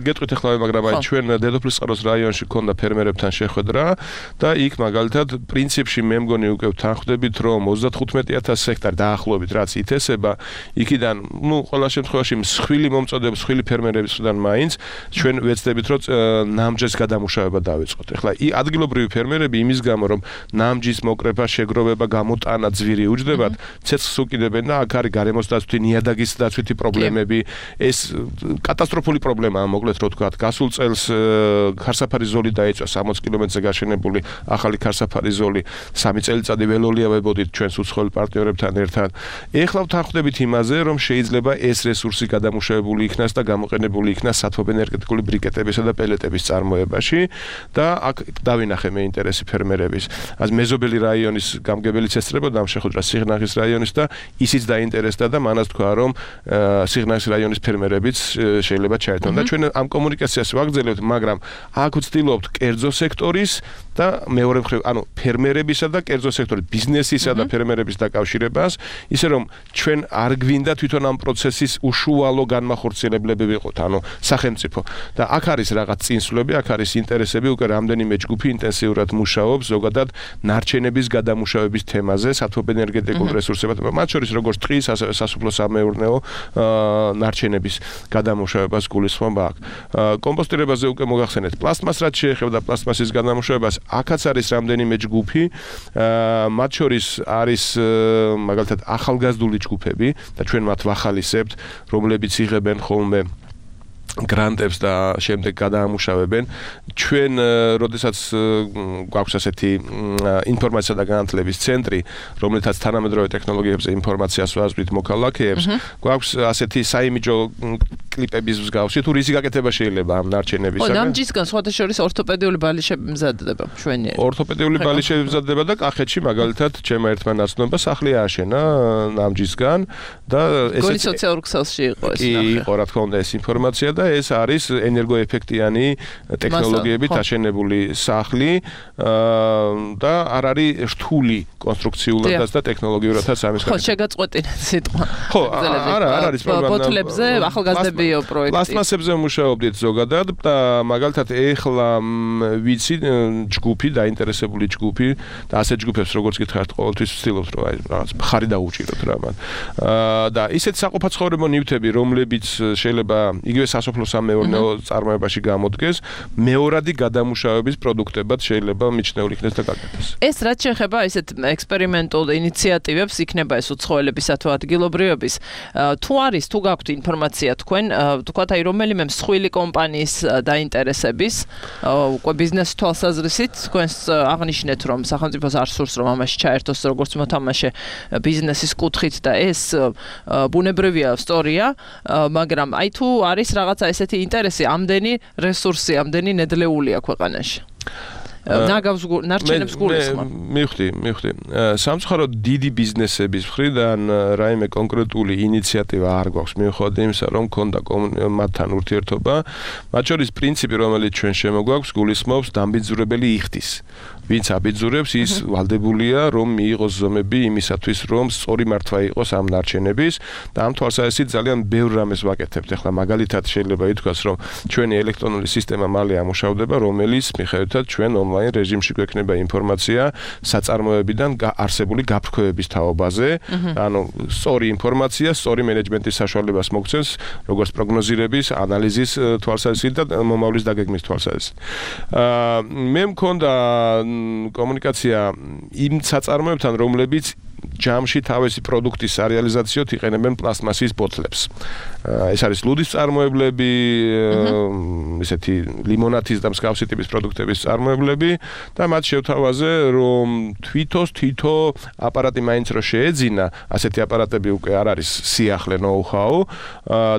გეტყვით ახლა მაგრამ აი ჩვენ დედოფლის წყაროს რაიონში ქონდა ფერმერებთან შეხვედრა და იქ მაგალითად პრინციპში მე მგონი უკვე თანხმდებით რომ 35000 ჰექტარი დაახლოებით რაც ითესება იქიდან ყველა შემთხვევაში მსხვილი მომწოდების მსხვილი ფერმერებისგან მაინც ჩვენ ვეცდებით რომ ნამჯის გადამუშავება დავიწყოთ. ახლა ადგილობრივი ფერმერები იმის გამო რომ ნამჯის მოკრება, შეგროვება, გამოტანა ძვირი უჯდებათ, ცეცხლს უკიდებენ და აქ არის გარემოს დაცვითი, ნიადაგის დაცვითი პრობლემები. ეს კატასტროფული პრობლემაა, მოკლედ რო ვთქვათ. გასულ წელს ქარსაფარი ზოლი დაიწვა 60 კილომეტრზე გაშენებული ახალი ქარსაფარი ზოლი 3 წელიწადი ველოლია ვებოდით ჩვენს უცხოელ პარტნიორებთან ერთად. ეხლა ვთანხმდებით იმაზე, რომ შეიძლება ეს რესურსი გადამუშავებული იქნას და გამოყენებული იქნას სათოფენერგეტიკული ბრიკეტებისა და პელეტების წარმოებაში და აქ დავინახე მე ინტერესი ფერმერების. אז მეზობელი რაიონის გამგებელიც ესწრებოდა ამ შეხვედრას სიღნაღის რაიონის და ისიც დაინტერესდა და მანაც თქვა რომ სიღნაღის რაიონის ფერმერებიც შეიძლება ჩაერთონ და ჩვენ ამ კომუნიკაციას ვაგრძელებთ, მაგრამ აქ ვცდილობთ კერძო სექტორის და მეორე მხრივ, ანუ ფერმერებისა და კერძო სექტორის ბიზნესისა და ფერმერების დაკავშირებას, ისე რომ ჩვენ არ გვინდა თვითონ ამ პროცესის უშუალო განმახორციელებლები ვიყოთ, ანუ სახელმწიფო. და აქ არის რაღაც წინსვლები, აქ არის ინტერესები, უკვე რამდენიმე ჯგუფი ინტენსიურად მუშაობს ზოგადად ნარჩენების გადამუშავების თემაზე, სათოფენერგეტიკულ რესურსებად, მათ შორის როგორც ტყის, ასევე სასოფლო-სამეურნეო ნარჩენების გადამუშავებას გულისხმობა აქ. კომპოსტირებაზე უკვე მოგახსენეთ, პლასტმას რაც შეეხება პლასტმასის გადამუშავებას, აქაც არის რამდენიმე ჯგუფი, მათ შორის არის მაგალითად ახალგაზრდული ჯგუფები და ჩვენ მათ ვახალისებთ, რომლებიც იღებენ ხოლმე გრანტებს და შემდეგ გადაამუშავებენ. ჩვენ როდესაც გვაქვს ასეთი ინფორმაცია და განათლების ცენტრი, რომელთაც თანამედროვე ტექნოლოგიებზე ინფორმაციას ვაზრით მოქალაქეებს, გვაქვს ასეთი საიმიჯო კლიპების მსგავსი თუ რისი გაკეთება შეიძლება ამ ნარჩენებისაგან. ნამჯისგან სხვათა შორის ორთოპედიული ბალიშები მზადდება ჩვენი. ორთოპედიული ბალიშები მზადდება და კახეთში მაგალითად ჩემმა ერთმა ნაცნობმა სახლი ააშენა ნამჯისგან და ეს გოლის სოციალურ ქსელში იყო ეს ნახე. იყო რა თქმა უნდა ეს ინფორმაცია და ეს არის ენერგოეფექტიანი ტექნოლოგიებით აშენებული სახლი და არ არის რთული კონსტრუქციულადაც და ტექნოლოგიურადაც ამის ხო შეგაწყვეტინეთ სიტყვა. ხო არ არის პრობლემა. ბოთლებზე ახალგაზრდებიო პროექტი. პლასტმასებზე მუშაობდით ზოგადად და მაგალითად ეხლა ვიცი ჯგუფი დაინტერესებული ჯგუფი და ასეთ ჯგუფებს როგორც გითხართ ყოველთვის ვცდილობთ რომ აი რაღაც მხარი დაუჭიროთ რა მათ. და ისეთ საყოფაცხოვრებო ნივთები რომლებიც შეიძლება იგივე სასოფლო-სამეურნეო წარმოებაში გამოდგეს, მეორადი გადამუშავების პროდუქტებად შეიძლება მიჩნეულ იქნეს და გაკეთდეს. ეს რაც შეეხება ესეთ ექსპერიმენტულ ინიციატივებს, იქნება ეს უცხოელებისა თუ ადგილობრივების, თუ არის, თუ გაქვთ ინფორმაცია თქვენ, თქვათ აი რომელიმე მსხვილი კომპანიის დაინტერესების, უკვე ბიზნეს თვალსაზრისით, თქვენს აღნიშნეთ რომ სახელმწიფოს არ სურს რომ ამაში ჩაერთოს როგორც მოთამაშე ბიზნესის კუთხით და ეს ბუნებრივია სწორია, მაგრამ აი თუ არის რაღაცა ესეთი ინტერესი, ამდენი რესურსი, ამდენი ნედლეულია ქვეყანაში. ნარჩენებს გულისხმობ. მივხვდი. სამწუხაროდ დიდი ბიზნესების მხრიდან რაიმე კონკრეტული ინიციატივა არ გვაქვს მიუხედავად იმისა, რომ ქონდა მათთან ურთიერთობა. მათ შორის პრინციპი, რომელიც ჩვენ შემოგვაქვს, გულისხმობს დამბიძურებელი იხდის. ვინც აბიძურებს, ის ვალდებულია, რომ მიიღოს ზომები იმისათვის, რომ სწორი მართვა იყოს ამ ნარჩენების და ამ თვალსაზრისით ძალიან ბევრ რამეს ვაკეთებთ. ახლა მაგალითად შეიძლება ითქვას, რომ ჩვენი ელექტრონული სისტემა მალე ამუშავდება, რომელიც მიხედვითად ჩვენ ონლაინ რეჟიმში გვექნება ინფორმაცია საწარმოებიდან არსებული გაფრქვევების თაობაზე, ანუ სწორი ინფორმაცია, სწორი მენეჯმენტის საშუალებას მოგცემს, როგორც პროგნოზირების, ანალიზის თვალსაზრისით და მომავლის დაგეგმის თვალსაზრისით. მე მქონდა კომუნიკაცია იმ საწარმოებთან, რომლებიც ჯამში თავისი პროდუქტის რეალიზაციოდ იყენებენ პლასტმასის ბოთლებს. ეს არის ლუდის წარმოებლები, ესეთი ლიმონათის და მსგავსი ტიპის პროდუქტების წარმოებლები და მათ შევთავაზე, რომ თვითო აპარატი მაინც რო შეეძინა, ასეთი აპარატები უკვე არ არის სიახლე ნოუ-ჰაუ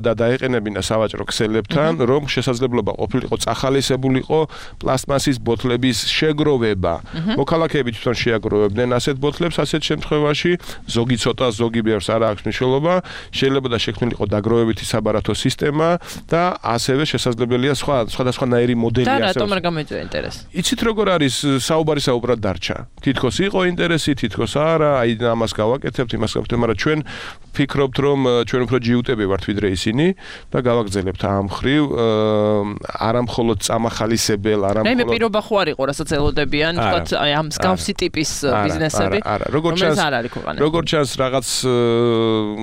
და დაეყენებინა სავაჭრო ქსელებთან, რომ შესაძლებლობა ყოფილიყო წახალისებულიყო პლასტმასის ბოთლების შეგროვება. მოქალაქეები თვითონ შეაგროვებდნენ ასეთ ბოთლებს ასეთ შემთხვევაში შემთხვევაში, ზოგი ცოტა, ზოგი ბევრს არ აქვს მნიშვნელობა, შეიძლება და შექმნილიყო დაგროვებითი საბარათო სისტემა და ასევე შესაძლებელია სხვადასხვანაირი მოდელი და რატომ არ გამოიწვია ინტერესი? იცით როგორ არის საუბარი საუბრად დარჩა. თითქოს იყო ინტერესი, თითქოს არა, აი ამას გავაკეთებთ, იმას გავაკეთებთ, მაგრამ ჩვენ ვფიქრობთ, რომ ჩვენ უფრო ჯიუტები ვართ ვიდრე ისინი და გავაგრძელებთ ამ ხრივ არა მხოლოდ წამახალისებელ, არა მხოლოდ. მე პირობა ხო არ იყო, რასაც ელოდებიან, თქვათ, აი ამ მსგავსი ტიპის ბიზნესები. როგორც ჩანს, რაღაც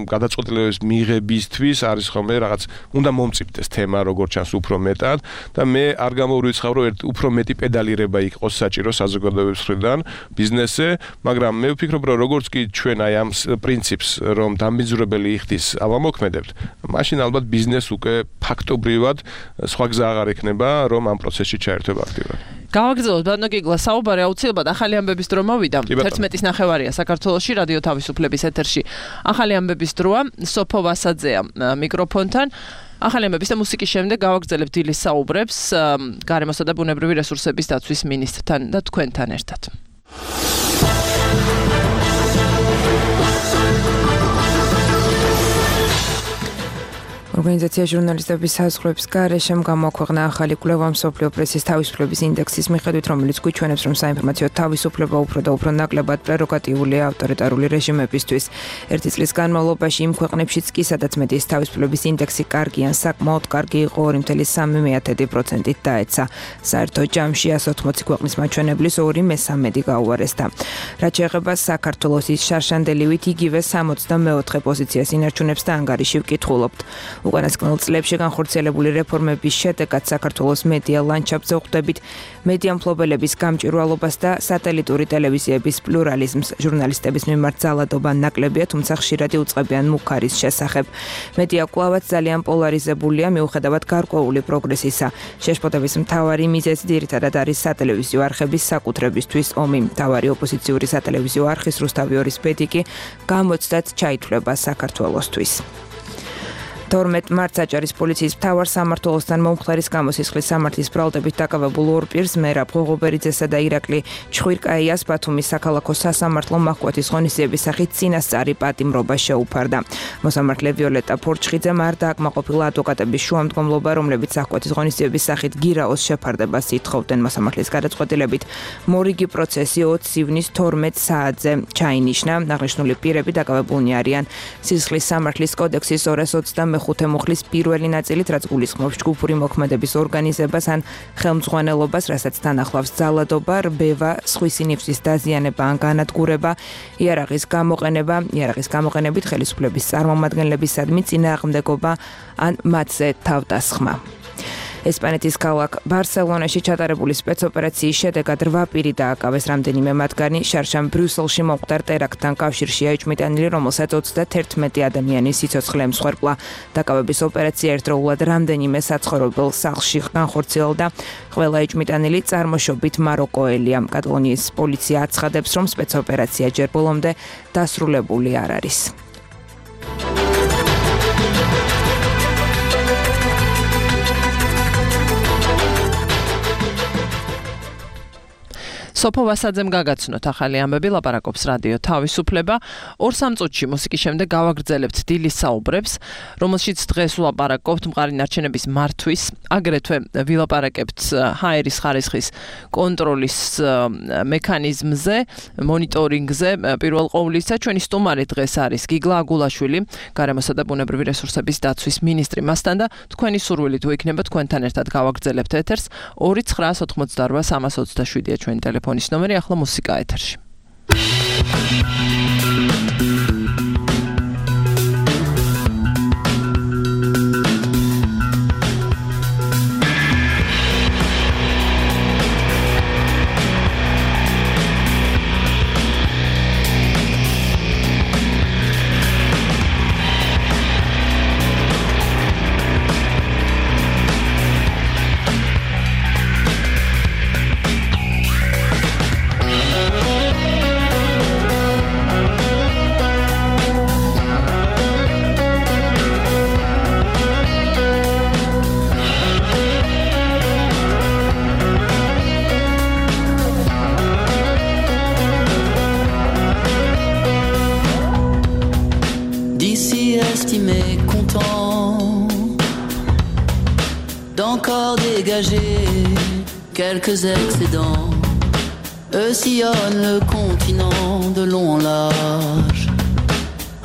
გადაწყვეტილებების მიღებისთვის არის ხოლმე რაღაც უნდა მომწიფდეს თემა, როგორც ჩანს უფრო მეტად და მე არ გამოვრიცხავ, რომ უფრო მეტი პედალირება იყოს საჭირო საზოგადოების მხრიდან ბიზნესზე, მაგრამ მე ვფიქრობ, რომ როგორც კი ჩვენ აი ამ პრინციპს, რომ დამბინძურებელი იხდის ავამოქმედებთ, მაშინ ალბათ ბიზნეს უკვე ფაქტობრივად სხვა გზა აღარ ექნება, რომ ამ პროცესში ჩაერთვება აქტიურად. გავაგრძელოთ ბატონო გიგლა საუბარი აუცილებლად ახალი ამბების დრო მოვიდა 11:09 საქართველოში რადიო თავისუფლების ეთერში ახალი ამბების დროა სოფო ვასაძეა მიკროფონთან ახალი ამბების და მუსიკის შემდეგ გავაგრძელებთ დილის საუბრებს გარემოსა და ბუნებრივი რესურსების დაცვის მინისტრთან და თქვენთან ერთად ორგანიზაცია ჟურნალისტების საზღვრების გარეშემ გამოაქვეყნა ახალი კვლევა მსოფლიო პრესის თავისუფლების ინდექსის მიხედვით, რომელიც გვიჩვენებს, რომ საინფორმაციო თავისუფლება უფრო და უფრო ნაკლებად პრეროგატიულია ავტორიტარული რეჟიმებისთვის. ერთი წლის განმავლობაში იმ ქვეყნებშიც კი, სადაც მედიის თავისუფლების ინდექსი კარგი ან საკმაოდ კარგი იყო 2.3%-ით დაეცა. საერთო ჯამში 180 ქვეყნის მაჩვენებლის 2/3 გაუარესდა. რაც შეეხება საქართველოს შარშანდელივით იგივე 64 პოზიციას ინარჩუნებს და ანგარიში ვკითხულობთ. უკანასკნელ წლებში განხორციელებული რეფორმების შედეგად საქართველოს მედია ლანდშაფტზე ვხვდებით მედია მფლობელების გამჭვირვალობას და სატელიტური ტელევიზიების პლურალიზმს. ჟურნალისტების მიმართ ძალადობა ნაკლებია, თუმცა ხშირად უწყებიან მუქარის შესახებ. მედია კვლავაც ძალიან პოლარიზებულია, მიუხედავად გარკვეული პროგრესისა. შეშფოთების მთავარი მიზეზი ძირითადად არის სატელევიზიო არხების საკუთრებისთვის ომი. მთავარი ოპოზიციური სატელევიზიო არხის რუსთავი ორის ბედიკი გამოცდად ჩაითვლება საქართველოსთვის. 12 მარტს აჭარის პოლიციის მთავარ სამმართველოსთან მომხდარის გამოსისხლის სამართლის ბრალდებით დაკავებულ ორ პირს მერაბ ღოღობერიძესა და ირაკლი ჩხვირკაიას ბათუმის საქალაქო სასამართლო მაჰკვეთის ღონისძიების სახით წინასწარი პატიმრობა შეუფარდა. მოსამართლე ვიოლეტა ფორჩხიძემ არ დააკმაყოფილა ადვოკატების შუამდგომლობა, რომლებიც საჰკვეთის ღონისძიების სახით გირაოს შეფარდებას ითხოვდნენ. მოსამართლის გადაწყვეტილებით მორიგი პროცესი 20 ივნის 12 საათზე ჩაინიშნა. აღნიშნული პირები დაკავებულნი არიან სისხლის სამართლის კოდექსის 225 მუხლის პირველი ნაწილით, რაც გულისხმობს ჯგუფური მოქმედების ორგანიზებას ან ხელმძღვანელობას, რასაც თან ახლავს ძალადობა, რბევა, სხვისი ნიფსის დაზიანება ან განადგურება, იარაღის გამოყენებით ხელისუფლების წარმომადგენლებისადმი წინააღმდეგობა ან მათზე თავდასხმა. ესპანეთის ქალაქ ბარსელონაში ჩატარებული სპეცოპერაციის შედეგად 8 პირი დააკავეს, რამდენიმე მათგანი შარშან ბრიუსელში მომხდარ ტერაქტთან კავშირშია იჭმიტანილი, რომელსაც 31 ადამიანი სიცოცხლე ემსხვერპლა. დაკავების ოპერაცია ერთდროულად რამდენიმე საცხოვრებელ სახლში განხორციელდა. ყველა იჭმიტანილი წარმოშობით მაროკოელია. კატალონიის პოლიცია აცხადებს, რომ სპეცოპერაცია ჯერ ბოლომდე დასრულებული არ არის. სოფო ვასაძემ გაგაცნოთ ახალი ამბები, ლაპარაკობს რადიო თავისუფლება. 2-3 წუთში მუსიკის შემდეგ გავაგრძელებთ დილის საუბრებს, რომელშიც დღეს ვლაპარაკობთ მყარი ნარჩენების მართვის, აგრეთვე ვილაპარაკებთ ჰაერის ხარისხის კონტროლის მექანიზმზე, მონიტორინგზე. პირველ ყოვლისა ჩვენი სტუმარი დღეს არის გიგლა აგულაშვილი, გარემოსა და ბუნებრივი რესურსების დაცვის მინისტრი. მასთან და თქვენი სურვილით ვიქნება თქვენთან ერთად გავაგრძელებთ ეთერს 2988327-ია ჩვენი ტელეფონის ნომერი, ახლა მუსიკა ეთერში. d'encore dégager quelques excédents. Eux sillonnent le continent de long en large,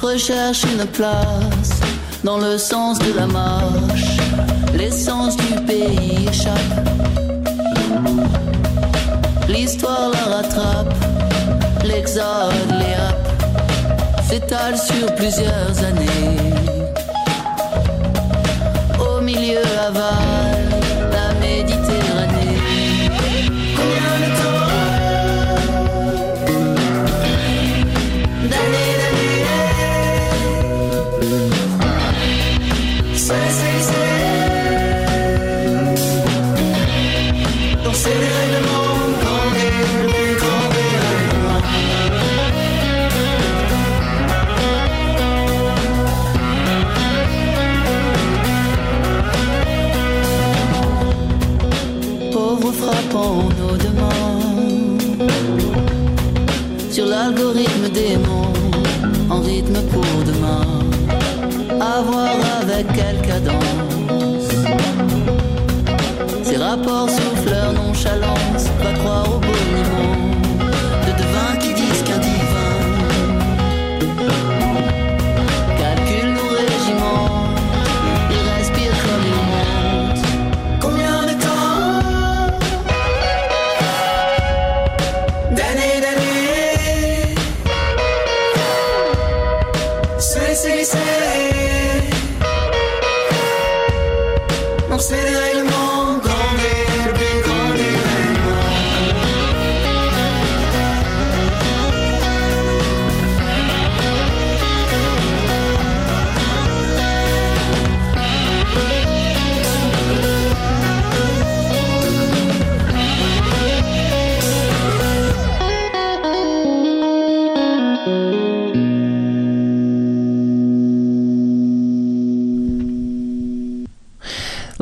recherchent une place dans le sens de la marche. L'essence du pays échappe, l'histoire la rattrape, l'exode les happe, s'étale sur plusieurs années. Au milieu avale la Méditerranée. Combien de temps, d'années, dans ces règlements frappant nos demandes sur l'algorithme démon en rythme pour demain, à voir avec quelle cadence ces rapports soufflent leur nonchalance, va croire au boniment de devins qui disent qu'un divin calcule nos régiments, ils respirent comme ils montent. Combien de temps, d'années, c'est non, c'est des règlements grandés, le plus grand des règlements.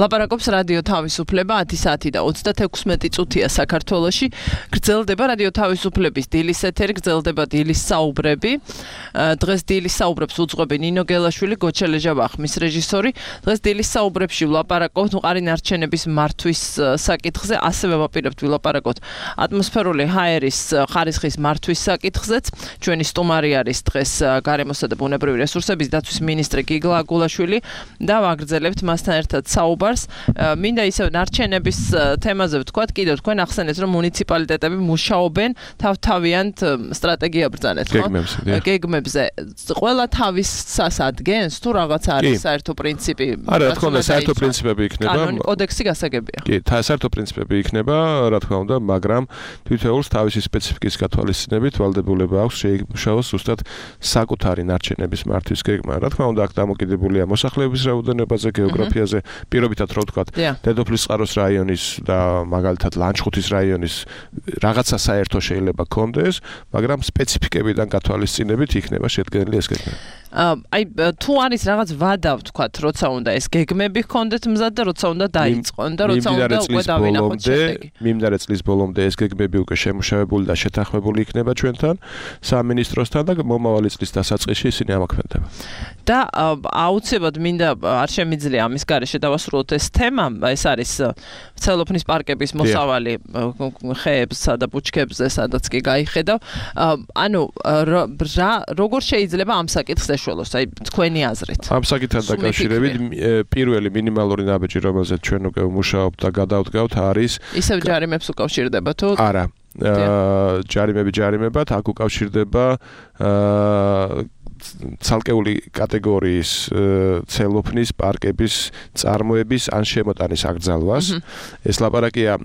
ლაპარაკობს რადიო თავისუფლება 10 საათი და 36 წუთია საქართველოში. გრძელდება რადიო თავისუფლების დილის ეთერი, გრძელდება დილის საუბრები. დღეს დილის საუბრებს უძღვები ნინო გელაშვილი, გოჩა ლეჟაბახმის რეჟისორი. დღეს დილის საუბრებში ვლაპარაკობთ მყარი ნარჩენების მართვის საკითხზე, ასევე ვაპირებთ ვილაპარაკოთ ატმოსფერული ჰაერის ხარისხის მართვის საკითხზეც. ჩვენი სტუმარი არის დღეს გარემოსა და ბუნებრივი რესურსების დაცვის მინისტრი გიგლა აგულაშვილი და ვაგრძელებთ მასთან ერთად საუბარს. მინდა ისევ ნარჩენების თემაზე ვთქვათ, კიდევ თქვენ ახსენეთ, რომ მუნიციპალიტეტები მუშაობენ თავთავიანთ სტრატეგია ბრძანეთ, ხო? გეგმებზე. ყველა თავის სასადგენს თუ რაღაც არის საერთო პრინციპი? არა, რა თქმა უნდა, საერთო პრინციპები იქნება. კანონი, კოდექსი გასაგებია. კი, საერთო პრინციპები იქნება, რა თქმა უნდა, მაგრამ თითოეულს თავისი სპეციფიკის გათვალისწინებით ვალდებულება აქვს შეიმუშაოს ზუსტად საკუთარი ნარჩენების მართვის გეგმა. რა თქმა უნდა, აქ დამოკიდებულია მოსახლეობის რაოდენობაზე, გეოგრაფიაზე, პირობითად რო ვთქვათ, დედოფლის წყაროს რაიონის და მაგალითად ლანჩხუთის რაიონის რაღაცა საერთო შეიძლება კონდეს, მაგრამ სპეციფიკებიდან გათვალისწინებით იქნება შედგენილი ეს გეგმა. აი თუ არის რაღაც ვადა ვთქვათ, როცა უნდა ეს გეგმები ჰქონდეთ მზად და როცა უნდა დაიწყონ და როცა უნდა უკვე დავინახოთ შედეგი. მიმდინარე წლის ბოლომდე ეს გეგმები უკვე შემუშავებული და შეთანხმებული იქნება ჩვენთან სამინისტროსთან და მომავალი წლის დასაწყისში ისინი ამოქმედება. და აუცილებლად მინდა არ შემიძლია ამის გარეშე დავასრულოთ ეს თემა, ეს არის ცელოფნის პარკების მოსავალი ხეებსა და ბუჩქებზე, სადაც კი გაიხედავ. ანუ როგორ შეიძლება ამ საკითხს ეშველოს, აი თქვენი აზრით? ამ საკითხთან დაკავშირებით პირველი მინიმალური ნაბიჯი, რომელზეც ჩვენ უკვე ვმუშაობთ და გადავდგავთ, არის ისევ ჯარიმებს უკავშირდება თუ? არა. ჯარიმებად აქ უკავშირდება ცალკეული კატეგორიის ცელოფნის პარკების წარმოების ან შემოტანის აკრძალვას. ეს ლაპარაკია,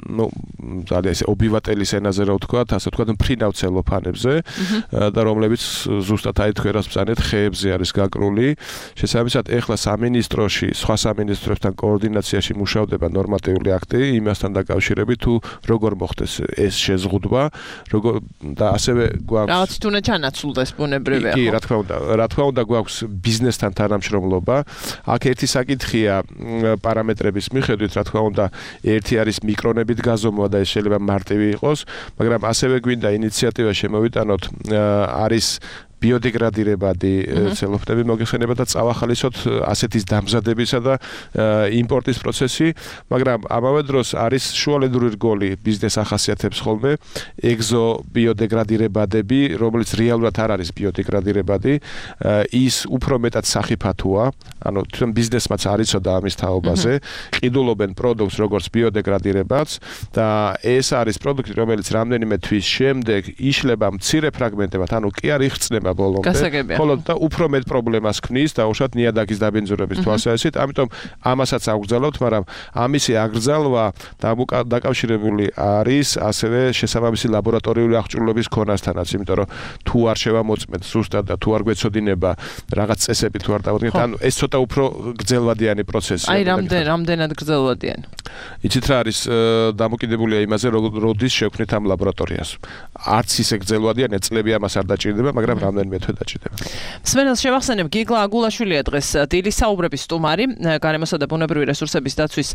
ძალიან ესე ობივატელის ენაზე რა ვთქვათ, ასე ვთქვათ, მფრინავ ცელოფანებზე და რომლებიც ზუსტად აი თქვენ რას ბრძანეთ, ხეებზე არის გაკრული. შესაბამისად, ეხლა სამინისტროში, სხვა სამინისტროსთან კოორდინაციაში მუშავდება ნორმატიული აქტი იმასთან დაკავშირებით, თუ როგორ მოხდეს ეს შეზღუდვა, როგორ და ასევე გვაქვს რაღაც თუნდაც ჩანაცვლდეს ბუნებრივია. კი, რა თქმა უნდა გვაქვს ბიზნესთან თანამშრომლობა. აქ ერთი საკითხია პარამეტრების მიხედვით, რა თქმა უნდა, ერთი არის მიკრონებით გაზომვა და ეს შეიძლება მარტივი იყოს, მაგრამ ასევე გვინდა ინიციატივა შემოვიტანოთ, არის ბიოდეგრადირებადი ცელოფნები მოგეხსენება და წავახალისოთ ასეთის დამზადებისა და იმპორტის პროცესი, მაგრამ ამავე დროს არის შუალედური რგოლი ბიზნეს ახასიათებს ხოლმე ეგზო ბიოდეგრადირებადები, რომელიც რეალურად არ არის ბიოდეგრადირებადი, ის უფრო მეტად სახიფათოა, ანუ თვითონ ბიზნესმაც არიცოდა ამის თაობაზე, ყიდულობენ პროდუქტს როგორც ბიოდეგრადირებადს და ეს არის პროდუქტი, რომელიც რამდენიმე თვის შემდეგ იშლება მცირე ფრაგმენტებად, ანუ კი არ იხსნება ბოლომდე, ხოლო და უფრო მეტ პრობლემას ქმნის დაუშვათ ნიადაგის დაბინძურების თვალსაზრისით, ამიტომ ამასაც აგრძელავთ, მაგრამ ამისი აგრძალვა დაკავშირებული არის ასევე შესაბამისი ლაბორატორიული აღჭურვილობის ქონასთანაც, იმიტომ რომ თუ არ შევამოწმეთ ზუსტად და თუ არ გვეცოდინება რაღაც წესები თუ არ დავადგინეთ, ანუ ეს ცოტა უფრო გრძელვადიანი პროცესია. აი რამდენად გრძელვადიანი? იცით რა არის დამოკიდებულია იმაზე, როდის შევქმნით ამ ლაბორატორიას. არც ისე გრძელვადიანი წლები ამას არ დაჭირდება, მაგრამ რამდენიმე თვე დაჭირდება. მსმენელს შევახსენებ, გიგლა აგულაშვილია დღეს დილის საუბრების სტუმარი, გარემოსა და ბუნებრივი რესურსების დაცვის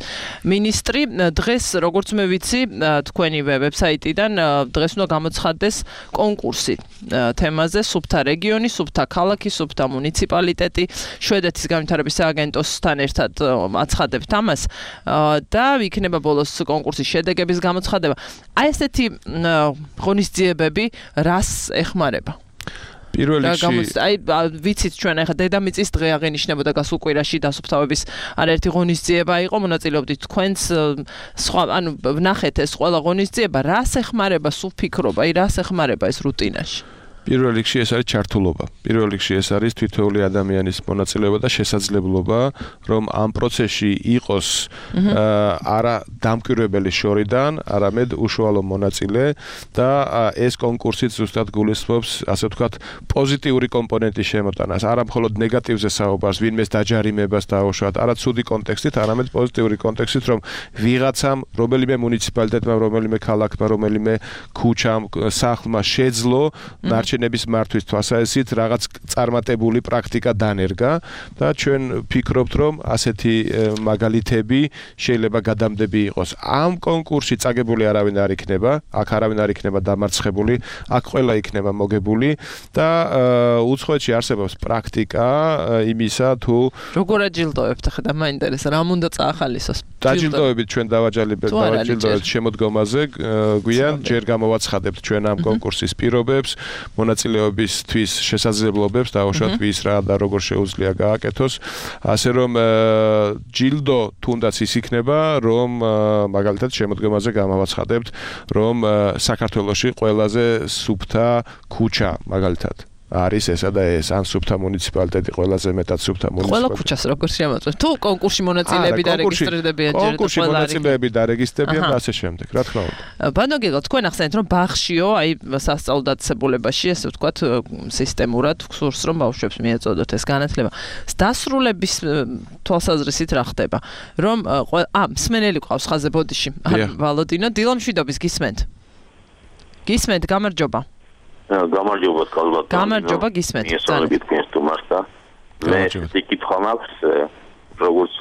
მინისტრი. დღეს, როგორც მე ვიცი, თქვენივე ვებსაიტიდან დღეს უნდა გამოცხადდეს კონკურსი თემაზე სუფთა რეგიონი, სუფთა ქალაქი, სუფთა მუნიციპალიტეტი, შვედეთის განვითარების სააგენტოსთან ერთად აცხადებთ ამას და იქნება ბოლოს კონკურსის შედეგების გამოცხადება. აი ესეთი ღონისძიებები რას ეხმარება? პირველ რიგში აი ვიცით ჩვენ ახლა დედამიწის დღე აღენიშნებოდა გასულ კვირაში დასუფთავების არაერთი ღონისძიება იყო, მონაწილეობდით თქვენც სხვა, ანუ ვნახეთ ეს ყველა ღონისძიება, რას ეხმარება სულ ფიქრობა, აი რას ეხმარება ეს რუტინაში? პირველ რიგში ეს არის ჩართულობა. პირველ რიგში ეს არის თითოეული ადამიანის მონაწილეობა და შესაძლებლობა, რომ ამ პროცესში იყოს არა დამკვირვებელი შორიდან, არამედ უშუალო მონაწილე და ეს კონკურსიც ზუსტად გულისხმობს, ასე ვთქვათ, პოზიტიური კომპონენტის შემოტანას, არა მხოლოდ ნეგატივზე საუბარს, ვინმეს დაჯარიმებას დაუშვათ, არა ცუდი კონტექსტით, არამედ პოზიტიური კონტექსტით, რომ ვიღაცამ, რომელიმე მუნიციპალიტეტმა, რომელიმე ქალაქმა, რომელიმე ქუჩამ, სახლმა შეძლო ნარჩენების მართვის თვალსაზრისით რაღაც წარმატებული პრაქტიკა დანერგა და ჩვენ ფიქრობთ, რომ ასეთი მაგალითები შეიძლება გადამდები იყოს. ამ კონკურსში წაგებული არავინ არ იქნება, აქ არავინ არ იქნება დამარცხებული, აქ ყველა იქნება მოგებული და უცხოეთში არსებობს პრაქტიკა იმისა, თუ როგორ აჯილდოებთ, ახლა მაინტერესა, რა უნდა წაახალისოს? დაჯილდოებით ჩვენ დავაჯილდოებთ შემოდგომაზე, გვიან ჯერ გამოვაცხადებთ ჩვენ ამ კონკურსის პირობებს, მონაწილეობისთვის შესაძლებლობებს დაუშვათ ვის რა და როგორ შეუძლია გააკეთოს, ასე რომ ჯილდო თუნდაც ის იქნება, რომ მაგალითად შემოდგომაზე გამოვაცხადებთ, რომ საქართველოში ყველაზე სუფთა ქუჩა მაგალითად არის ესა და ეს, ან სუფთა მუნიციპალიტეტი ყველაზე მეტად სუფთა მუნიციპალიტეტი. ყველა ქუჩას როგორ შემოწმეთ? თუ კონკურსში მონაწილეები დარეგისტრირდებიან ჯერ კონკურსში მონაწილეები დარეგისტრირდებიან და ასე შემდეგ, რა თქმა უნდა. ბანო გიგლა, თქვენ ახსენეთ, რომ ბაღშიო, აი სასწავლო დაწესებულებაში, ესე ვთქვათ, სისტემურად გსურს, რომ ბავშვებს მიეწოდოთ ეს განათლება. დასრულების თვალსაზრისით რა ხდება? რომ მსმენელი ყავს ხაზე ბოდიში. ვალოდინო, დილამშვიდობის გისმენთ? გისმენთ, გამარჯობა. გამარჯობა კალბატონო. გამარჯობა, გისმენთ. ესწავლებით თქვენს სტუმარს და მე ვიკითხვა მაქვს როგორც